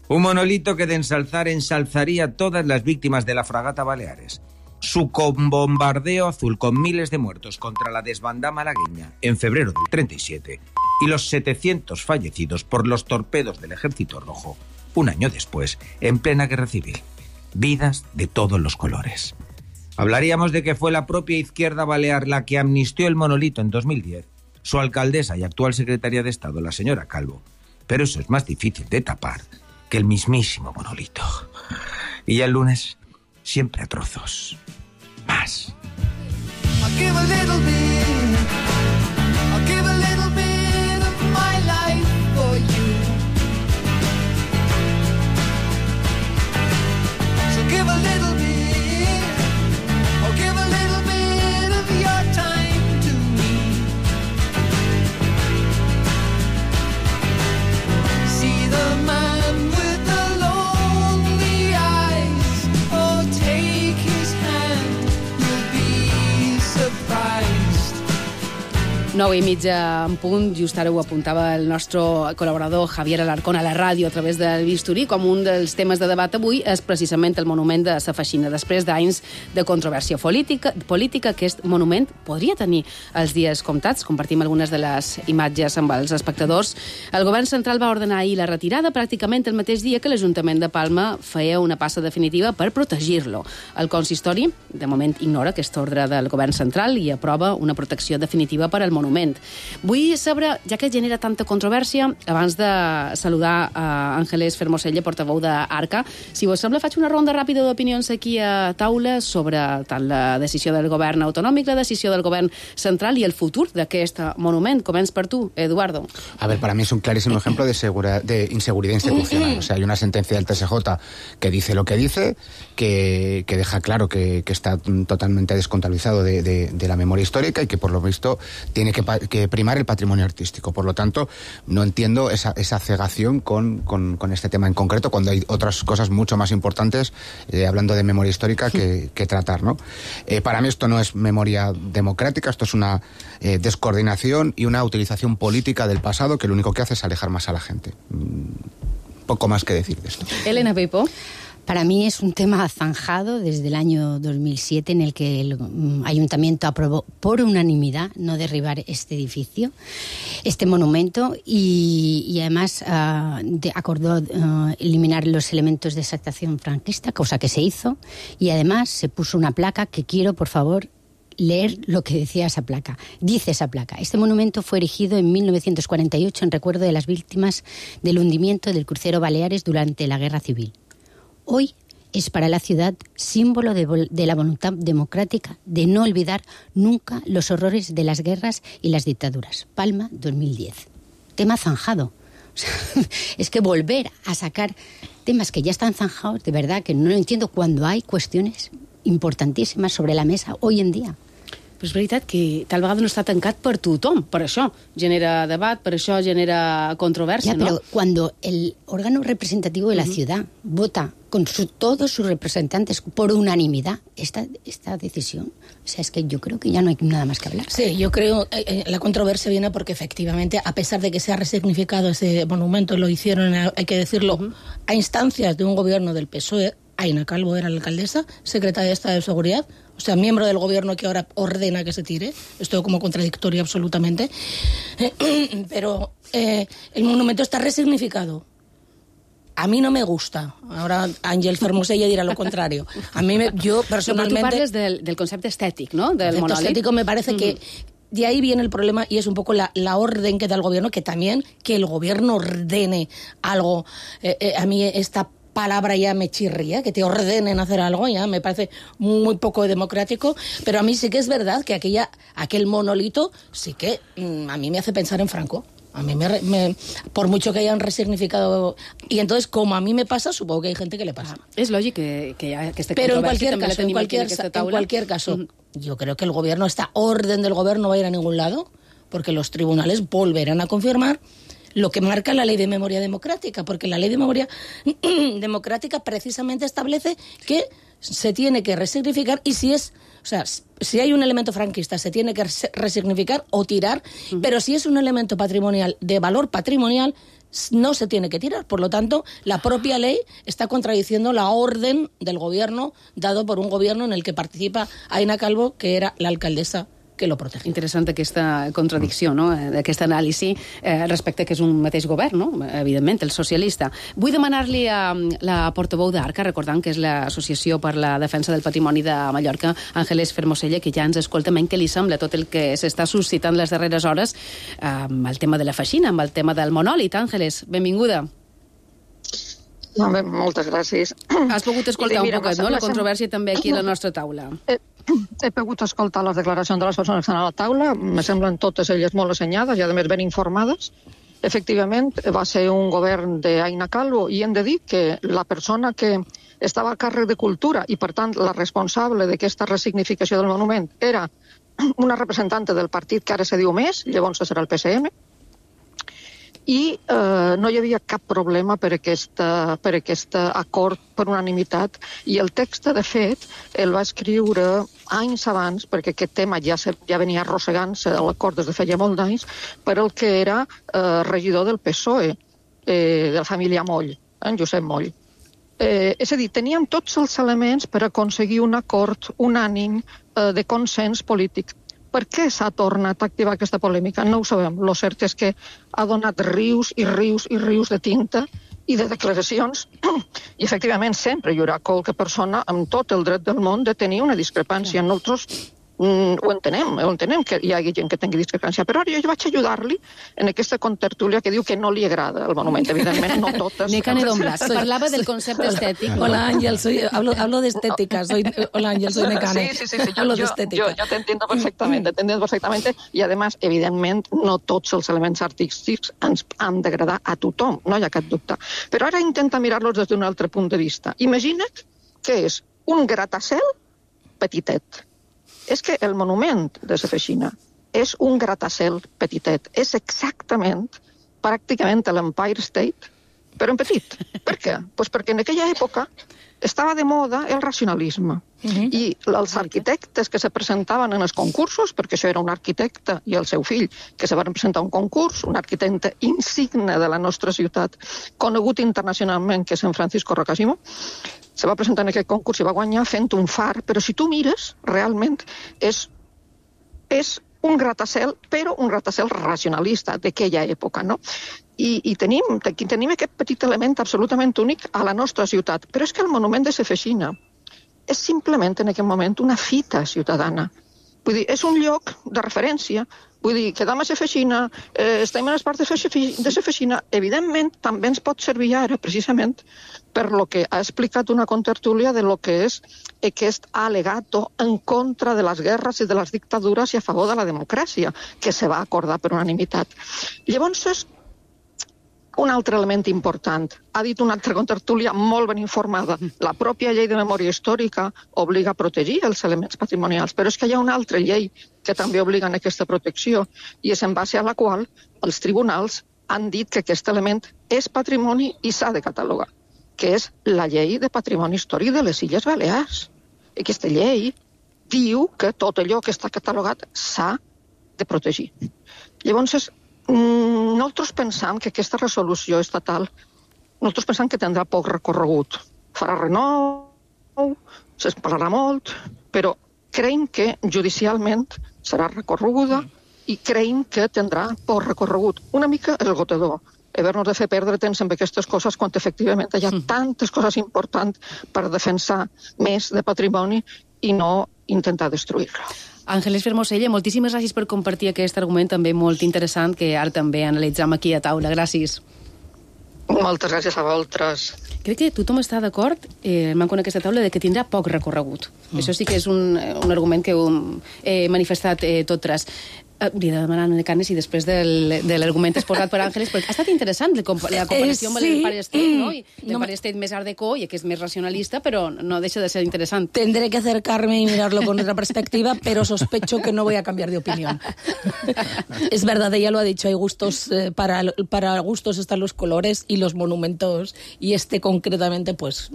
Un monolito que de ensalzar ensalzaría a todas las víctimas de la fragata Baleares. Su bombardeo azul con miles de muertos contra la desbandada malagueña en febrero del 37 y los 700 fallecidos por los torpedos del Ejército Rojo un año después, en plena guerra civil. Vidas de todos los colores. Hablaríamos de que fue la propia izquierda balear la que amnistió el monolito en 2010, su alcaldesa y actual secretaria de Estado, la señora Calvo. Pero eso es más difícil de tapar que el mismísimo monolito. Y ya el lunes, siempre a trozos. Más. I'll give a little bit of my life for you. So give a little bit, or give a little bit of your time to me. See the man with the lonely eyes, oh take his hand, you'll be surprised. 9:30 en punt, just ara ho apuntava el nostre col·laborador Javier Alarcón a la ràdio a través del bisturí, com un dels temes de debat avui és precisament el monument de Safeixina. Després d'anys de controvèrsia política, aquest monument podria tenir els dies comptats. Compartim algunes de les imatges amb els espectadors. El govern central va ordenar ahir la retirada pràcticament el mateix dia que l'Ajuntament de Palma feia una passa definitiva per protegir-lo. El consistori, de moment, ignora aquesta ordre del govern central i aprova una protecció definitiva per al monument. Vull saber, ja que genera tanta controvèrsia, abans de saludar a Ángeles Fermoselle, portaveu d'Arca, si vos sembla, faig una ronda ràpida d'opinions aquí a taula sobre tant la decisió del govern autonòmic, la decisió del govern central i el futur d'aquest monument. Començ per tu, Eduardo. A ver, para mí es un clarísimo ejemplo de inseguridad institucional. O sea, hay una sentencia del TSJ que dice lo que dice, que deja claro que está totalmente descontabilizado de la memoria histórica y que, por lo visto, tiene que primar el patrimonio artístico. Por lo tanto, no entiendo esa cegación con este tema en concreto, cuando hay otras cosas mucho más importantes, hablando de memoria histórica, que tratar, ¿no? Para mí esto no es memoria democrática, esto es una descoordinación y una utilización política del pasado que lo único que hace es alejar más a la gente. Poco más que decir de esto. Elena Peipo. Para mí es un tema zanjado desde el año 2007 en el que el ayuntamiento aprobó por unanimidad no derribar este edificio, este monumento, y además acordó eliminar los elementos de exaltación franquista, cosa que se hizo, y además se puso una placa que quiero, por favor, leer lo que decía esa placa. Dice esa placa: este monumento fue erigido en 1948 en recuerdo de las víctimas del hundimiento del crucero Baleares durante la Guerra Civil. Hoy es para la ciudad símbolo de la voluntad democrática de no olvidar nunca los horrores de las guerras y las dictaduras. Palma, 2010. Tema zanjado. O sea, es que volver a sacar temas que ya están zanjados, de verdad que no lo entiendo cuando hay cuestiones importantíssimes sobre la mesa hoy en dia. Però és veritat que tal vegada no està tancat per tothom, per això genera debat, per això genera controvèrsia, ¿no? Pero cuando el órgano representativo de la ciudad vota con todos sus representantes por unanimidad esta decisión, o sea, es que yo creo que ya no hay nada más que hablar. Sí, yo creo la controversia viene porque efectivamente, a pesar de que se ha resignificado ese monumento, lo hicieron, hay que decirlo, a instancias de un gobierno del PSOE. Aina Calvo era la alcaldesa, secretaria de Estado de Seguridad, o sea, miembro del gobierno que ahora ordena que se tire. Esto como contradictorio absolutamente. Pero el monumento está resignificado. a mí no me gusta. Ahora Ángel Fermosella dirá lo contrario. Yo personalmente... Pero tú parles del concepte estètic, ¿no? Del concepto monòlit. estético me parece que de ahí viene el problema y es un poco la orden que da el gobierno, que también que el gobierno ordene algo. A mí esta palabra ya me chirría, que te ordenen hacer algo, ya me parece muy poco democrático, pero a mí sí que es verdad que aquel monolito sí que a mí me hace pensar en Franco. A mí por mucho que hayan resignificado... Y entonces, como a mí me pasa, supongo que hay gente que le pasa. És lògic que aquesta Pero en controvèrsia cualquier també la caso, tenim aquí en aquesta taula. en cualquier caso, yo creo que el gobierno, esta orden del gobierno no va a ir a ningún lado, porque los tribunales volverán a confirmar lo que marca la ley de memoria democrática, porque la ley de memoria democrática precisamente establece que se tiene que resignificar y si hay un elemento franquista se tiene que resignificar o tirar, pero si es un elemento patrimonial de valor patrimonial no se tiene que tirar. Por lo tanto, la propia ley está contradiciendo la orden del gobierno dado por un gobierno en el que participa Aina Calvo, que era la alcaldesa que lo protege. Interessant aquesta contradicció, no? D'aquesta anàlisi respecte que és un mateix govern, no? Evidentment, el socialista. Vull demanar-li a la portaveu d'Arca, recordant que és l'Associació per la Defensa del Patrimoni de Mallorca, Àngeles Fermosella, que ja ens escolta, què li sembla tot el que s'està suscitant les darreres hores amb el tema de la feixina, amb el tema del monòlit. Àngeles, benvinguda. Moltes gràcies. Has pogut escoltar un poquet, no?, la controvèrsia també aquí a la nostra taula. He pogut escoltar les declaracions de les persones que estan a la taula, me semblen totes elles molt assenyades i, a més, ben informades. Efectivament, va ser un govern d'Aina Calvo i hem de dir que la persona que estava a càrrec de Cultura i, per tant, la responsable d'aquesta resignificació del monument era una representant del partit que ara se diu Més, llavors serà el PSM, i no hi havia cap problema per aquest acord per unanimitat, i el text, de fet, el va escriure anys abans, perquè aquest tema ja venia arrossegant-se a l'acord des de feia molt d'anys, per el que era regidor del PSOE, de la família Moll, en Josep Moll. És a dir, teníem tots els elements per aconseguir un acord unànim de consens polític. Per què s'ha tornat a activar aquesta polèmica? No ho sabem. Lo cert és que ha donat rius i rius i rius de tinta i de declaracions, i efectivament sempre hi haurà qualque persona amb tot el dret del món de tenir una discrepància. Nosaltres ho entenem que hi hagi gent que tingui discrepància, però ara jo vaig ajudar-li en aquesta contertúlia que diu que no li agrada el monument, evidentment, no totes. Ni cane don Blas. Parlava del concepte estètic. Hola Ángel, hablo de estética. Hola Ángel, soy Necane. Sí. Hablo de estética. Yo te entiendo perfectamente, i además, evidentment, no tots els elements artístics ens han d'agradar a tothom, no hi ha cap dubte. Però ara intenta mirar-los des d'un altre punt de vista. Imagina't que és un gratacel petitet. És que el monument de la Feixina és un gratacel petitet. És exactament, pràcticament, l'Empire State, però en petit. Per què? Pues perquè en aquella època estava de moda el racionalisme. I els arquitectes que se presentaven en els concursos, perquè això era un arquitecte i el seu fill, que se van presentar a un concurs, un arquitecte insigne de la nostra ciutat, conegut internacionalment, que és en Francisco Rocasimo, se va presentar en aquest concurs i va guanyar fent un far, però si tu mires, realment és un gratacel, però un gratacel racionalista d'aquella època, no? I tenim aquest petit element absolutament únic a la nostra ciutat, però és que el monument de la Feixina és simplement en aquest moment una fita ciutadana. Vull dir, és un lloc de referència. Vull dir, quedam a la Feixina, estem en les parts de la Feixina, evidentment també ens pot servir ara, precisament, per lo que ha explicat una contertúlia de lo que és aquest alegato en contra de les guerres i de les dictadures i a favor de la democràcia, que se va acordar per unanimitat. Llavors, un altre element important. Ha dit una altra contertúlia molt ben informada. La pròpia llei de memòria històrica obliga a protegir els elements patrimonials, però és que hi ha una altra llei que també obliga a aquesta protecció, i és en base a la qual els tribunals han dit que aquest element és patrimoni i s'ha de catalogar, que és la llei de patrimoni històric de les Illes Balears. Aquesta llei diu que tot allò que està catalogat s'ha de protegir. Llavors, nosaltres pensam que aquesta resolució estatal, nosaltres pensam que tindrà poc recorregut. Farà renou, se'n parlarà molt, però creiem que judicialment serà recorreguda i creiem que tindrà poc recorregut. Una mica el gotedor. haver-nos de fer perdre temps amb aquestes coses quan efectivament hi ha tantes coses importants per defensar més de patrimoni i no intentar destruir-lo. Àngeles Fermosella, moltíssimes gràcies per compartir aquest argument també molt interessant que ara també analitzam aquí a taula. Gràcies. Moltes gràcies a vosaltres. Crec que tothom està d'acord, manco en aquesta taula, de que tindrà poc recorregut. Això sí que és un argument que he manifestat tot tras. Li he de demanar de Canes i després de l'argument exposat per Àngeles, perquè ha estat interessant la comparació amb l'Empire State, ¿no? L'Empire State més art déco i que és més racionalista, però no deixa de ser interesant. Tendré que acercarme y mirarlo con otra perspectiva, pero sospecho que no voy a cambiar de opinión. Es verdad, ella lo ha dicho, hay gustos, para gustos están los colores y los monumentos, y este concretamente, pues,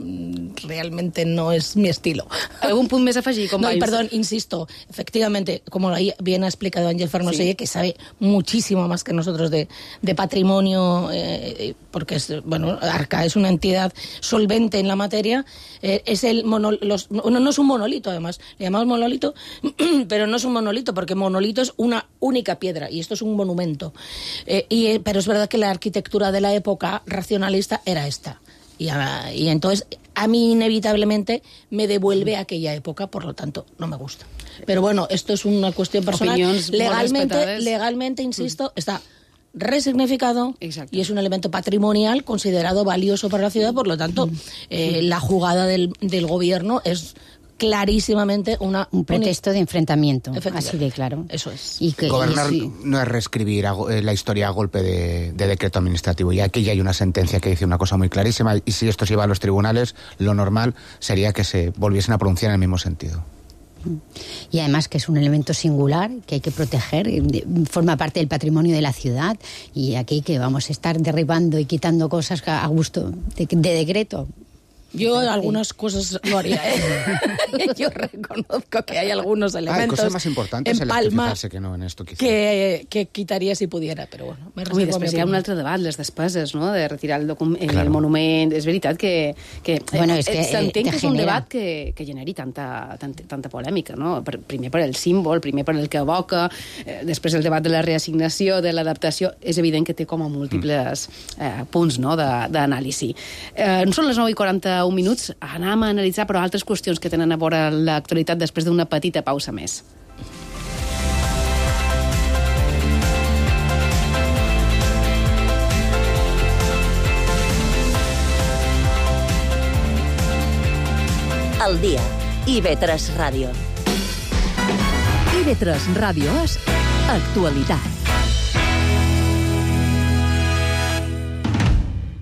realmente no es mi estilo. ¿Algún punto més a afegir? No, y perdón, insisto, efectivamente, como bien ha explicado Ángel Fermosella, que sabe muchísimo más que nosotros de patrimonio, porque Arca es una entidad solvente en la materia, no es un monolito, además, le llamamos monolito, pero no es un monolito, porque monolito es una única piedra, y esto es un monumento. Pero es verdad que la arquitectura de la época racionalista era esta. Y entonces a mí inevitablemente me devuelve a aquella época, por lo tanto no me gusta. Pero bueno, esto es una cuestión personal. Legalmente, insisto, está resignificado. Exacto. Y es un elemento patrimonial considerado valioso para la ciudad, por lo tanto la jugada del gobierno es clarísimamente un pretexto de enfrentamiento, así de claro. Eso es. Gobernar no es reescribir la historia a golpe de decreto administrativo. Y aquí ya hay una sentencia que dice una cosa muy clarísima, y si esto se iba a los tribunales, lo normal sería que se volviesen a pronunciar en el mismo sentido. Y además que es un elemento singular que hay que proteger, forma parte del patrimonio de la ciudad, y aquí que vamos a estar derribando y quitando cosas a gusto de decreto. Yo algunas cosas lo haría, Yo reconozco que hay algunos elementos cosas más importantes en Palma que no en esto, quizá. que quitaria si pudiera, però bueno. Ui, després hi ha un altre debat, les despeses, no?, de retirar el monument. És veritat que bueno, és que s'entén que és un debat que generi tanta polèmica, no? Primer per el símbol, primer per el que evoca, després el debat de la reassignació, de l'adaptació. És evident que té com a múltiples punts, no?, d'anàlisi. Són les 9:41 minuts, anem a analitzar però altres qüestions que tenen a veure l'actualitat després d'una petita pausa més. Al dia. IB3 Ràdio. IB3 Ràdio és actualitat.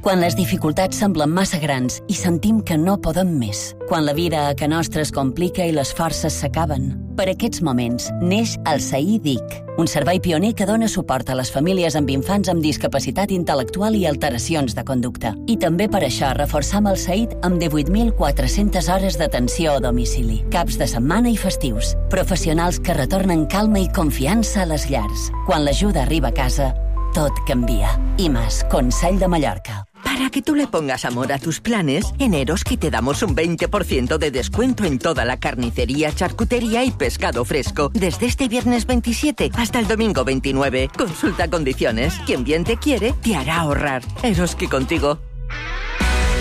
Quan les dificultats semblen massa grans i sentim que no podem més. Quan la vida a ca nostra es complica i les forces s'acaben. Per aquests moments neix el SAI DIC, un servei pioner que dona suport a les famílies amb infants amb discapacitat intel·lectual i alteracions de conducta. I també per això reforçam el SAID amb 18.400 hores d'atenció a domicili, caps de setmana i festius. Professionals que retornen calma i confiança a les llars. Quan l'ajuda arriba a casa, tot canvia. IMAS, Consell de Mallorca. Para que tú le pongas amor a tus planes, en Eroski te damos un 20% de descuento en toda la carnicería, charcutería y pescado fresco. Desde este viernes 27 hasta el domingo 29. Consulta condiciones. Quien bien te quiere, te hará ahorrar. Eroski contigo.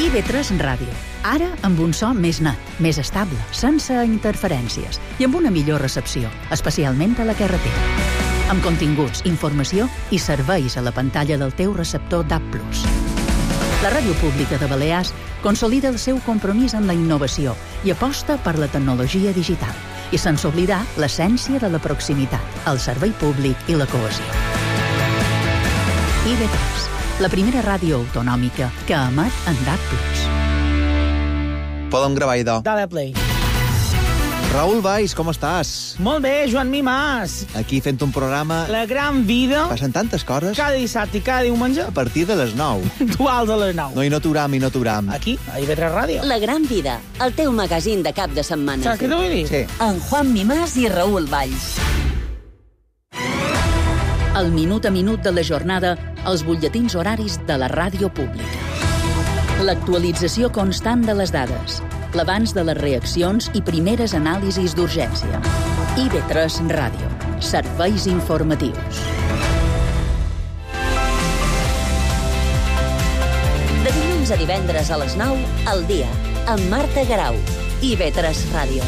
IB3 Ràdio. Ara amb un so més net, més estable, sense interferències i amb una millor recepció, especialment a la carretera. Amb continguts, informació i serveis a la pantalla del teu receptor DAB+. La Ràdio Pública de Balears consolida el seu compromís amb la innovació i aposta per la tecnologia digital i sense oblidar l'essència de la proximitat, el servei públic i la cohesió. IB3, la primera ràdio autonòmica que emet en DAB+. Podem gravar, idò. Dale play. Raül Valls, com estàs? Molt bé, Joan Mimàs. Aquí fent un programa... La gran vida. Passen tantes coses. Cada dissabte i cada diumenge. A partir de les 9. Dual de les 9. No, i no t'uram. Aquí, a IB3 Ràdio. La gran vida, el teu magazín de cap de setmana. Saps què t'ho vull dir? Sí. En Juan Mimàs i Raül Valls. El minut a minut de la jornada, els butlletins horaris de la ràdio pública. L'actualització constant de les dades, l'abans de les reaccions i primeres anàlisis d'urgència. IB3 Ràdio. Serveis informatius. dimarts a divendres a les 9, al dia, amb Marta Garau, IB3 Ràdio.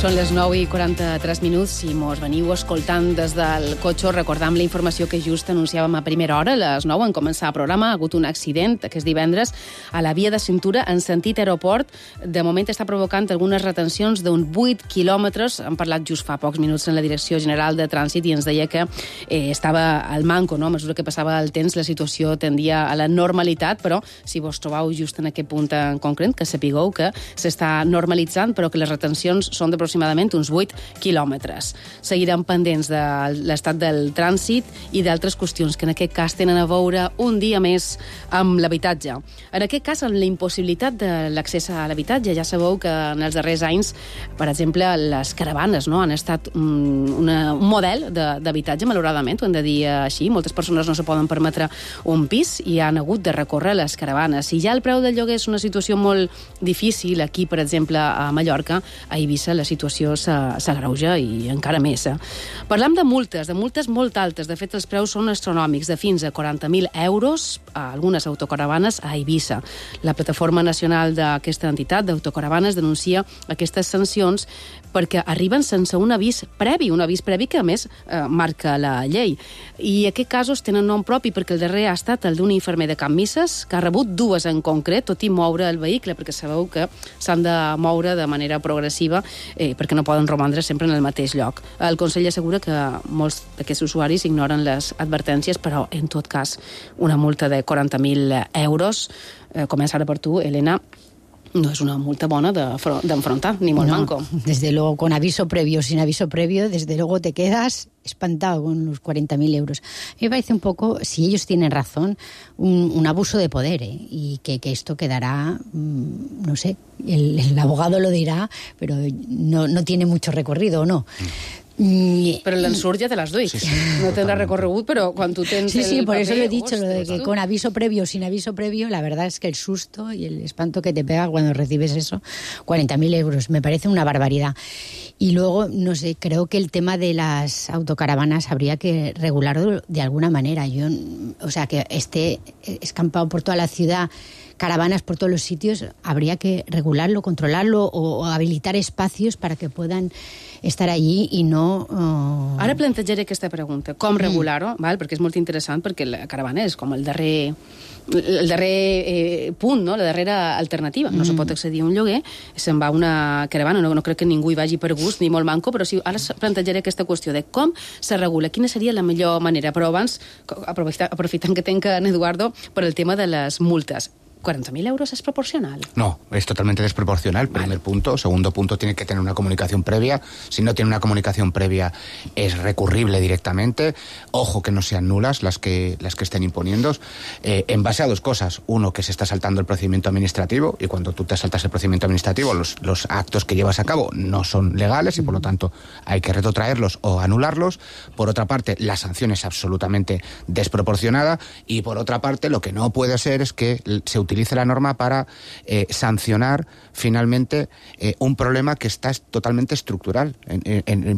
Són les 9:43 si mos veniu escoltant des del cotxe. Recordam la informació que just anunciàvem a primera hora, a les 9 en començar el programa. Ha hagut un accident aquest divendres a la via de cintura en sentit aeroport. De moment està provocant algunes retencions d'un 8 quilòmetres. Hem parlat just fa pocs minuts en la Direcció General de Trànsit i ens deia que estava al manco, no? A mesura que passava el temps la situació tendia a la normalitat, però si vos trobeu just en aquest punt en concret, que sapigueu que s'està normalitzant, però que les retencions són d'aproximadament uns 8 quilòmetres. Seguirem pendents de l'estat del trànsit i d'altres qüestions que en aquest cas tenen a veure un dia més amb l'habitatge. En aquest cas, amb la impossibilitat de l'accés a l'habitatge. Ja sabeu que en els darrers anys, per exemple, les caravanes han estat un model d'habitatge, malauradament, ho hem de dir així. Moltes persones no se poden permetre un pis i han hagut de recórrer les caravanes. Si ja el preu del lloguer és una situació molt difícil, aquí, per exemple, a Mallorca, a Eivissa, la situació s'agreuja i encara més. Parlam de multes molt altes. De fet, els preus són astronòmics, de fins a 40.000 euros a algunes autocaravanes a Eivissa. La plataforma nacional d'aquesta entitat d'autocaravanes denuncia aquestes sancions perquè arriben sense un avís previ que, a més, marca la llei. I aquests casos tenen nom propi perquè el darrer ha estat el d'un infermer de Can Misses, que ha rebut dues en concret, tot i moure el vehicle, perquè sabeu que s'han de moure de manera progressiva perquè no poden romandre sempre en el mateix lloc. El Consell assegura que molts d'aquests usuaris ignoren les advertències, però, en tot cas, una multa de 40.000 euros. Comença ara per tu, Elena. No es una multa bona d'enfrontar, ni molt manco. Desde luego, con aviso previo, sin aviso previo, desde luego te quedas espantado con los 40.000 euros. A mí me parece un poco, si ellos tienen razón, un abuso de poder, y que esto quedará, no sé, el abogado lo dirá, pero no tiene mucho recorrido, ¿o no? Pero l'ensurt ja te l'has duit. Sí, no tendrá recorregut, pero cuando tú tens Sí, por eso lo he dicho, lo de que con aviso previo o sin aviso previo, la verdad es que el susto y el espanto que te pega cuando recibes eso, 40.000 euros, me parece una barbaridad. Y luego, no sé, creo que el tema de las autocaravanas habría que regularlo de alguna manera. O sea, que esté escampado por toda la ciudad, caravanas por todos los sitios, habría que regularlo, controlarlo o habilitar espacios para que puedan estar allí i no... Ara plantejaré aquesta pregunta. Com regular-ho? Perquè és molt interessant, perquè la caravana és com el darrer punt, no? La darrera alternativa. No se pot accedir a un lloguer, se'n va una caravana. No crec que ningú hi vagi per gust ni molt manco, però sí, ara plantejaré aquesta qüestió de com se regula, quina seria la millor manera. Però abans, aprofitant que tenc en Eduardo, per el tema de les multes. ¿40.000 euros es proporcional? No, es totalmente desproporcional. Primer punto. Segundo punto, tiene que tener una comunicación previa. Si no tiene una comunicación previa, es recurrible directamente. Ojo que no sean nulas las que estén imponiendo. En base a dos cosas. Uno, que se está saltando el procedimiento administrativo, y cuando tú te saltas el procedimiento administrativo, los actos que llevas a cabo no son legales y por lo tanto hay que retrotraerlos o anularlos. Por otra parte, la sanción es absolutamente desproporcionada, y por otra parte, lo que no puede ser es que se utilice la norma para sancionar finalmente un problema que está totalmente estructural,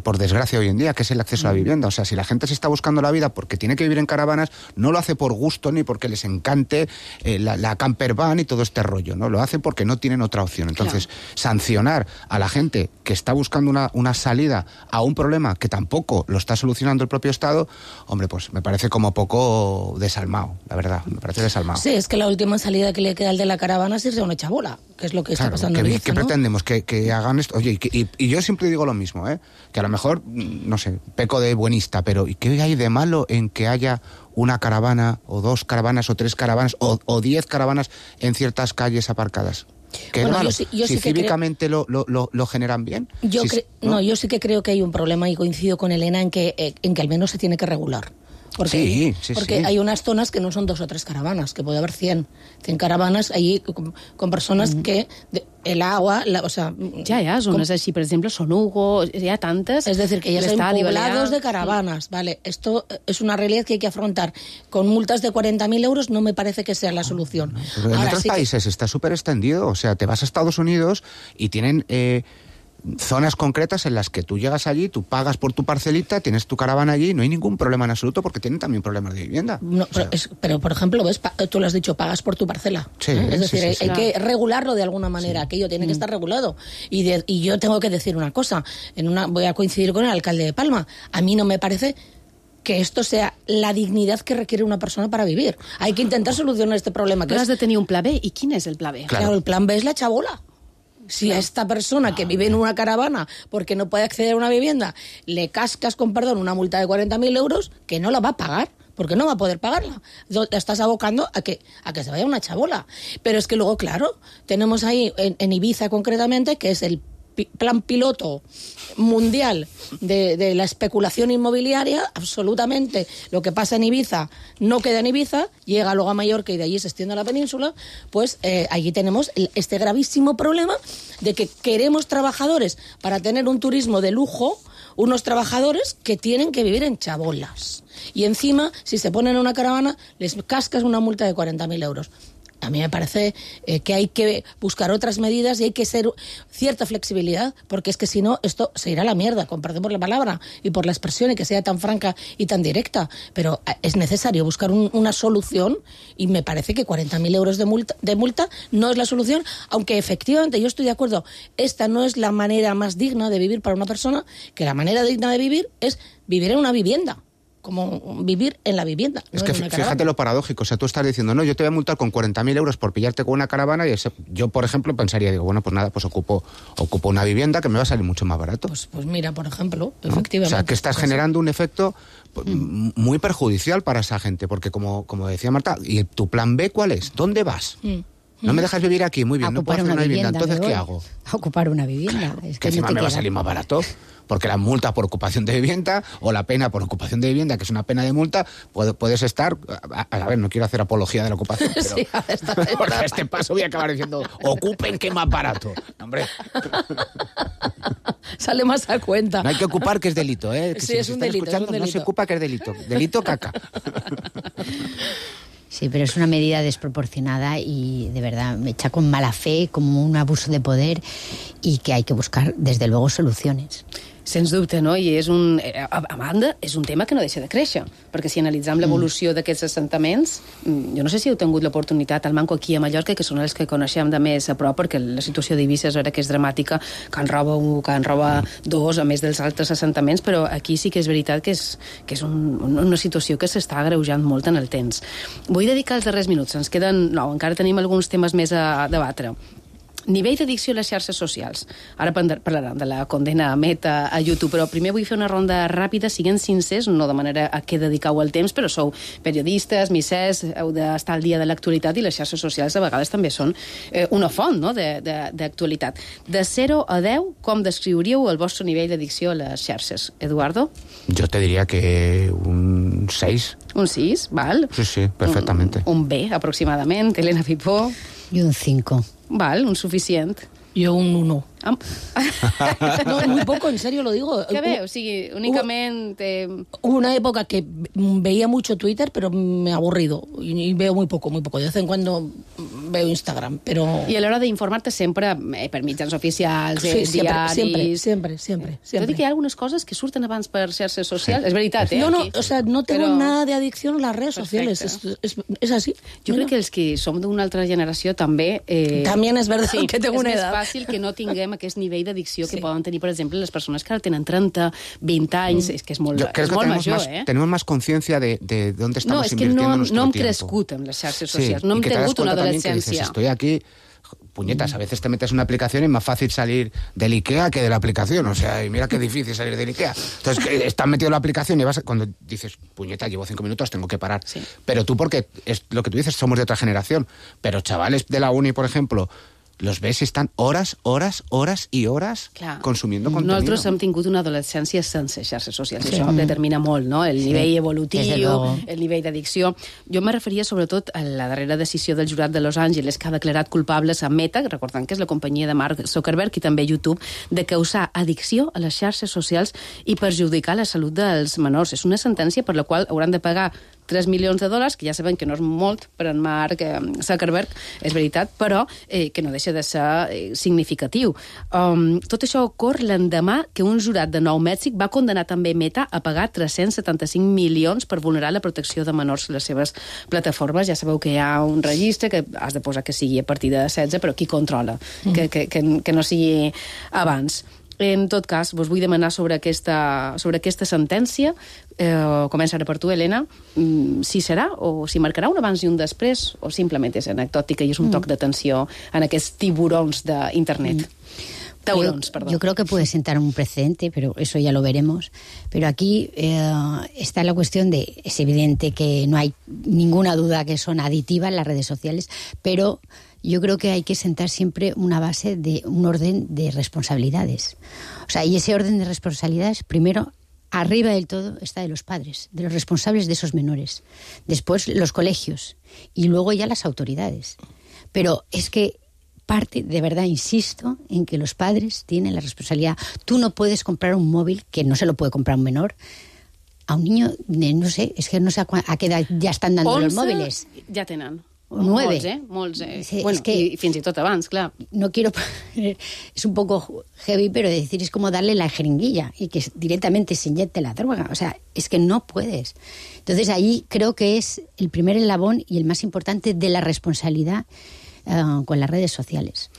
por desgracia hoy en día, que es el acceso a la vivienda. O sea, si la gente se está buscando la vida porque tiene que vivir en caravanas, no lo hace por gusto ni porque les encante la camper van y todo este rollo, ¿no? Lo hace porque no tienen otra opción. Entonces, sancionar a la gente que está buscando una salida a un problema que tampoco lo está solucionando el propio Estado, hombre, pues me parece como poco desalmado, la verdad, me parece desalmado. Sí, es que la última salida que le queda al de la caravana es irse a una chabola, que es lo que está pasando en Ibiza, ¿qué pretendemos? Que hagan esto. Oye, y yo siempre digo lo mismo, que a lo mejor, no sé, peco de buenista, pero ¿y qué hay de malo en que haya una caravana, o dos caravanas, o tres caravanas, o 10 caravanas en ciertas calles aparcadas? ¿Qué es malo? Yo si sí cívicamente lo generan bien. Yo sí que creo que hay un problema, y coincido con Elena en que al menos se tiene que regular. Porque hay unas zonas que no son 2 o 3 caravanas, que puede haber 100 caravanas allí con personas que el agua, o sea... Ya, zonas así, por ejemplo, Son Hugo, ya tantas... Es decir, que ya están poblados de caravanas, ¿vale? Esto es una realidad que hay que afrontar. Con multas de 40.000 euros no me parece que sea la solución. En otros países está súper extendido, o sea, te vas a Estados Unidos y tienen... zonas concretas en las que tú llegas allí, tú pagas por tu parcelita, tienes tu caravana allí, no hay ningún problema en absoluto porque tienen también problemas de vivienda. No, pero, por ejemplo, ves, tú lo has dicho, pagas por tu parcela. Sí, es decir, sí, hay que regularlo de alguna manera, aquello tiene que estar regulado. Y yo tengo que decir una cosa, voy a coincidir con el alcalde de Palma, a mí no me parece que esto sea la dignidad que requiere una persona para vivir. Hay que intentar solucionar este problema. Però has de tenir un pla B. I quin és el pla B? Claro, el plan B es la chabola. Si a esta persona que vive en una caravana porque no puede acceder a una vivienda, le cascas, con perdón, una multa de 40.000 euros, que no la va a pagar, porque no va a poder pagarla. Te estás abocando a que se vaya una chabola. Pero es que luego, claro, tenemos ahí, en Ibiza concretamente, que es el plan piloto mundial de la especulación inmobiliaria, absolutamente. Lo que pasa en Ibiza no queda en Ibiza, llega luego a Mallorca y de allí se extiende a la península, pues allí tenemos este gravísimo problema de que queremos trabajadores para tener un turismo de lujo, unos trabajadores que tienen que vivir en chabolas. Y encima, si se ponen en una caravana, les cascas una multa de 40.000 euros. A mí me parece que hay que buscar otras medidas y hay que ser cierta flexibilidad, porque es que si no, esto se irá a la mierda, con perdón por la palabra y por la expresión y que sea tan franca y tan directa. Pero es necesario buscar una solución y me parece que 40.000 euros de multa no es la solución, aunque efectivamente yo estoy de acuerdo, esta no es la manera más digna de vivir para una persona, que la manera digna de vivir es vivir en una vivienda. Como vivir en la vivienda. Es no que fíjate lo paradójico, o sea, tú estás diciendo, no, yo te voy a multar con 40.000 euros por pillarte con una caravana y yo, por ejemplo, pensaría, digo, bueno, pues nada, pues ocupo una vivienda que me va a salir mucho más barato. Pues mira, por ejemplo, ¿no? efectivamente. O sea, que estás generando un efecto muy perjudicial para esa gente, porque como decía Marta, ¿y tu plan B cuál es? ¿Dónde vas? No me dejas vivir aquí, muy bien, no puedo hacer una vivienda, entonces ¿qué hago? Ocupar una vivienda. Es que encima me va a salir más barato, porque la multa por ocupación de vivienda o la pena por ocupación de vivienda, que es una pena de multa, puedes estar... A ver, no quiero hacer apología de la ocupación, pero sí, por este paso voy a acabar diciendo, ocupen que es más barato. Hombre. Sale más a cuenta. No hay que ocupar, que es delito, ¿eh? Que sí, si es un delito, escuchando, es un delito. No se ocupa, que es delito. Delito caca. Sí, pero es una medida desproporcionada y de verdad me echa con mala fe, como un abuso de poder y que hay que buscar, desde luego, soluciones. Sens dubte, no? I a banda, és un tema que no deixa de créixer, perquè si analitzam l'evolució d'aquests assentaments, jo no sé si heu tingut l'oportunitat al Manco aquí a Mallorca, que són els que coneixem de més a prop, perquè la situació d'Eivissa és vera que és dramàtica, Can Roba 1, Can Roba 2, a més dels altres assentaments, però aquí sí que és veritat que és una situació que s'està agreujant molt en el temps. Vull dedicar els darrers minuts, ens queden 9, encara tenim alguns temes més a debatre. Nivell d'addicció a les xarxes socials. Ara parlarem de la condena a Meta a YouTube, però primer vull fer una ronda ràpida, siguent sincers, no de manera a què dediqueu el temps, però sou periodistes, missers, heu d'estar al dia de l'actualitat i les xarxes socials a vegades també són una font, no?, d'actualitat. De 0 a 10, com descriuríeu el vostre nivell d'addicció a les xarxes? Eduardo? Yo te diría que un 6. Un 6, val. Sí, perfectamente. Un B, aproximadament. Elena Pipó? Y un 5. Val, un suficient. Yo un 1. No, muy poco, en serio lo digo. ¿Qué ve? O sigui, únicamente... Hubo una época que veía mucho Twitter, pero me he aburrido. Y veo muy poco. De vez en cuando veo Instagram, pero... I a l'hora d'informar-te sempre per mitjans oficials, diaris... Siempre. Tot i que hi ha algunes coses que surten abans per xarxes socials. És veritat, No, aquí. o sea, no tengo nada de adicción a las redes sociales. Es así. Jo crec que els que som d'una altra generació també... También es verdad que tengo una edad. És més fàcil que no tinguem aquest nivell d'addicció que poden tenir, per exemple, les persones que ara tenen 30, 20 anys, és que és molt, major, Tenemos más conciencia de dónde estamos invirtiendo nuestro tiempo. No hem crescut amb les xarxes socials, no hem tingut una adolescència. Estoy aquí... Puñetas, a veces te metes en una aplicación y es más fácil salir del IKEA que de la aplicación. O sea, y mira qué difícil salir del IKEA. Entonces, estás metido en la aplicación y vas cuando dices, puñeta, llevo 5 minutos, tengo que parar. Sí. Pero tú, porque es lo que tú dices, somos de otra generación. Pero chavales de la uni, por ejemplo, los ves y están horas y horas consumiendo contenido. Nosaltres hem tingut una adolescència sense xarxes socials. Això determina molt, no?, el nivell evolutiu, el nivell d'addicció. Jo me referia sobretot a la darrera decisió del jurat de Los Angeles, que ha declarat culpables a Meta, recordant que és la companyia de Mark Zuckerberg i també YouTube, de causar addicció a les xarxes socials i perjudicar la salut dels menors. És una sentència per la qual hauran de pagar 3 milions de dòlars, que ja sabem que no és molt per en Mark Zuckerberg, és veritat, però que no deixa de ser significatiu. Tot això ocorre l'endemà que un jurat de Nou Mèxic va condenar també Meta a pagar 375 milions per vulnerar la protecció de menors a les seves plataformes. Ja sabeu que hi ha un registre que has de posar que sigui a partir de 16, però qui controla que no sigui abans. En tot cas, vos vull demanar sobre aquesta sentència. Comença ara per tu, Helena. Si serà o si marcarà un abans i un després, o simplement és anecdòtica i és un toc d'atenció en aquests tiburons d'internet. Yo creo que puede sentar un precedente, pero eso ya lo veremos. Pero aquí está la cuestión de, es evidente que no hay ninguna duda que son aditivas las redes sociales, pero yo creo que hay que sentar siempre una base de un orden de responsabilidades. O sea, y ese orden de responsabilidades, primero, arriba del todo está de los padres, de los responsables de esos menores. Después los colegios y luego ya las autoridades. Pero es que parte, de verdad, insisto, en que los padres tienen la responsabilidad. Tú no puedes comprar un móvil, que no se lo puede comprar un menor, a un niño de, no sé, es que no sé a qué edad ya están dando los móviles. Ja tenen. 9. Molts. Sí, bueno, es que i fins i tot abans, clar. No quiero... Es un poco heavy, pero decir es como darle la jeringuilla y que directamente se inyecte la droga. O sea, es que no puedes. Entonces ahí creo que es el primer eslabón y el más importante de la responsabilidad con las redes sociales.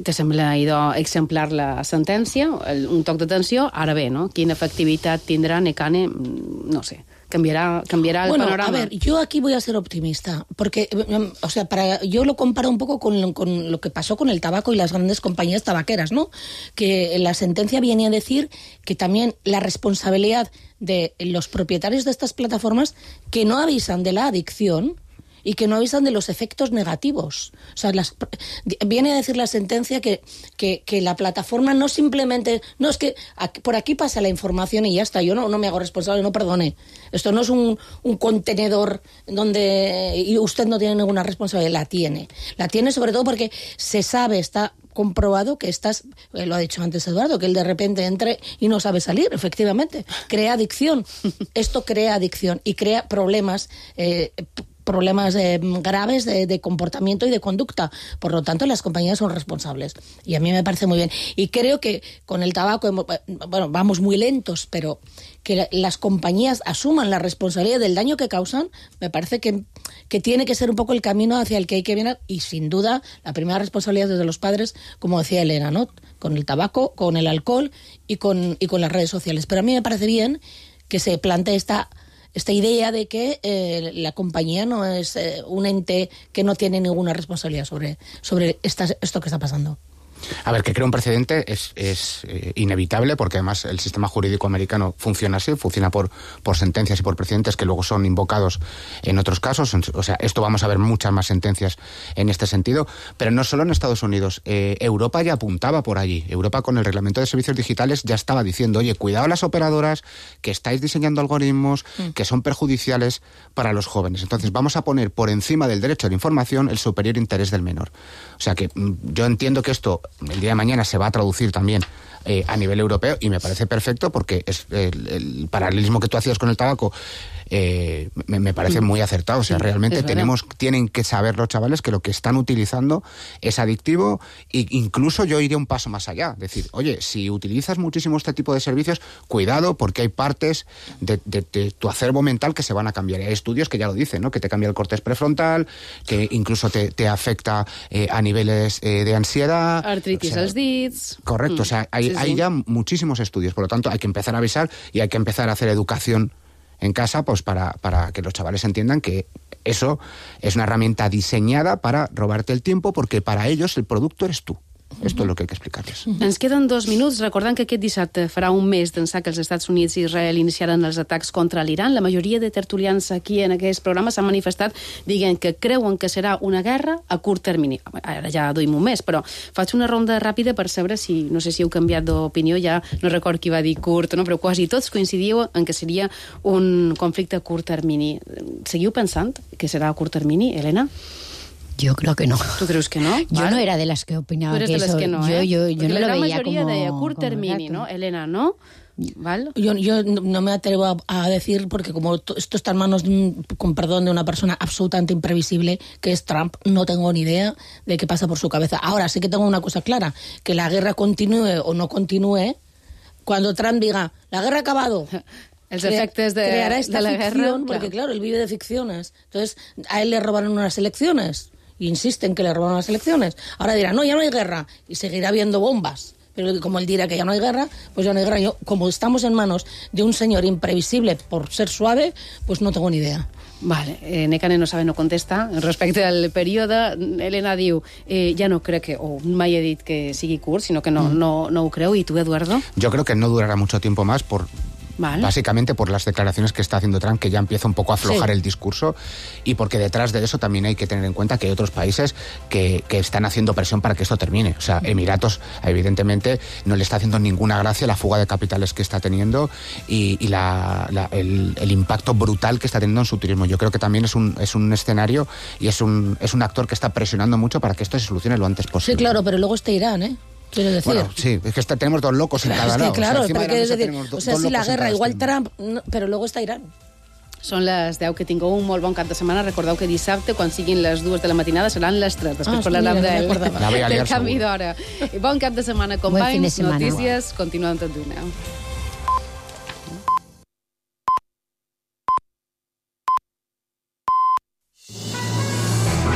Te sembla idò exemplar la sentència, un toc d'atenció, ara bé, ¿no? Quina efectivitat tindrà Nekane, no sé, cambiará el panorama. A ver, yo aquí voy a ser optimista, porque, o sea, yo lo comparo un poco con lo que pasó con el tabaco y las grandes compañías tabaqueras, ¿no? Que la sentencia viene a decir que también la responsabilidad de los propietarios de estas plataformas que no avisan de la adicción y que no avisan de los efectos negativos. O sea, viene a decir la sentencia que la plataforma no simplemente... No, es que por aquí pasa la información y ya está, yo no me hago responsable, no perdone. Esto no es un contenedor donde y usted no tiene ninguna responsabilidad, la tiene. La tiene sobre todo porque se sabe, está comprobado que estás, lo ha dicho antes Eduardo, que él de repente entre y no sabe salir, efectivamente. Crea adicción. Esto crea adicción y crea problemas graves de comportamiento y de conducta. Por lo tanto, las compañías son responsables. Y a mí me parece muy bien. Y creo que con el tabaco, bueno, vamos muy lentos, pero que las compañías asuman la responsabilidad del daño que causan, me parece que tiene que ser un poco el camino hacia el que hay que venir. Y sin duda, la primera responsabilidad es de los padres, como decía Elena, ¿no? Con el tabaco, con el alcohol y con las redes sociales. Pero a mí me parece bien que se plantee esta idea de que la compañía no es un ente que no tiene ninguna responsabilidad sobre esto que está pasando. A ver, que crea un precedente es inevitable, porque además el sistema jurídico americano funciona así, funciona por sentencias y por precedentes que luego son invocados en otros casos. O sea, esto vamos a ver muchas más sentencias en este sentido, pero no solo en Estados Unidos. Europa ya apuntaba por allí. Europa, con el reglamento de servicios digitales, ya estaba diciendo, oye, cuidado las operadoras que estáis diseñando algoritmos que son perjudiciales para los jóvenes. Entonces vamos a poner por encima del derecho a la información el superior interés del menor. O sea que yo entiendo que esto el día de mañana se va a traducir también a nivel europeo, y me parece perfecto, porque es el paralelismo que tú hacías con el tabaco me parece muy acertado. O sea, realmente tienen que saber los chavales que lo que están utilizando es adictivo, e incluso yo iría un paso más allá. Decir, oye, si utilizas muchísimo este tipo de servicios, cuidado, porque hay partes de tu acervo mental que se van a cambiar. Y hay estudios que ya lo dicen, ¿no? Que te cambia el córtex prefrontal, que incluso te afecta a niveles de ansiedad. Artritis als dits. Correcto, o sea, hay ya muchísimos estudios. Por lo tanto, hay que empezar a avisar y hay que empezar a hacer educación en casa, pues para que los chavales entiendan que eso es una herramienta diseñada para robarte el tiempo, porque para ellos el producto eres tú. Esto és el que hay que explicar-les. Ens queden 2 minuts, recordant que aquest dissabte farà un mes d'ençà que els Estats Units i Israel iniciaran els atacs contra l'Iran. La majoria de tertulians aquí en aquest programa s'han manifestat dient que creuen que serà una guerra a curt termini. Ara ja duim un mes, però faig una ronda ràpida per saber si, no sé si heu canviat d'opinió, ja no record qui va dir curt, no? Però quasi tots coincidíeu en que seria un conflicte a curt termini. Seguiu pensant que serà a curt termini, Helena? Yo creo que no. ¿Tú crees que no? Yo no era de las que opinaba que eso... Tú eres de las que no, Yo no lo veía como... la gran mayoría de a curt termini, ¿no? Elena, ¿no? ¿Vale? Yo no me atrevo a decir, porque como esto está en manos, con perdón, de una persona absolutamente imprevisible, que es Trump, no tengo ni idea de qué pasa por su cabeza. Ahora sí que tengo una cosa clara, que la guerra continúe o no continúe, cuando Trump diga, la guerra ha acabado... Els efectes creará esta de la ficción, guerra, porque claro, él vive de ficciones. Entonces, a él le robaron unas elecciones, y insisten que le robaron las elecciones. Ahora dirá, no, ya no hay guerra, y seguirá habiendo bombas. Pero como él dirá que ya no hay guerra, pues ya no hay guerra. Yo, como estamos en manos de un señor imprevisible por ser suave, pues no tengo ni idea. Vale, Nekane no sabe, no contesta. Respecte al període, Helena diu, ja no crec que, o mai he dit que sigui curt, sinó que no ho creu. I tu, Eduardo? Yo creo que no durará mucho tiempo más básicamente por las declaraciones que está haciendo Trump, que ya empieza un poco a aflojar el discurso, y porque detrás de eso también hay que tener en cuenta que hay otros países que están haciendo presión para que esto termine. O sea, Emiratos, evidentemente, no le está haciendo ninguna gracia la fuga de capitales que está teniendo y el impacto brutal que está teniendo en su turismo. Yo creo que también es un escenario y es un actor que está presionando mucho para que esto se solucione lo antes posible. Sí, claro, pero luego está Irán, ¿eh? Quiero decir. Bueno, sí, es que tenemos dos locos en cada lado. Claro, pero quieres decir, si la guerra, igual Trump, pero luego está Irán. Són les 10, que tingueu un molt bon cap de setmana. Recordeu que dissabte, quan siguin les 2 de la matinada, seran les 3. Després parlarem del canvi d'hora. Bon cap de setmana, companys. Notícies, continuem tot d'una.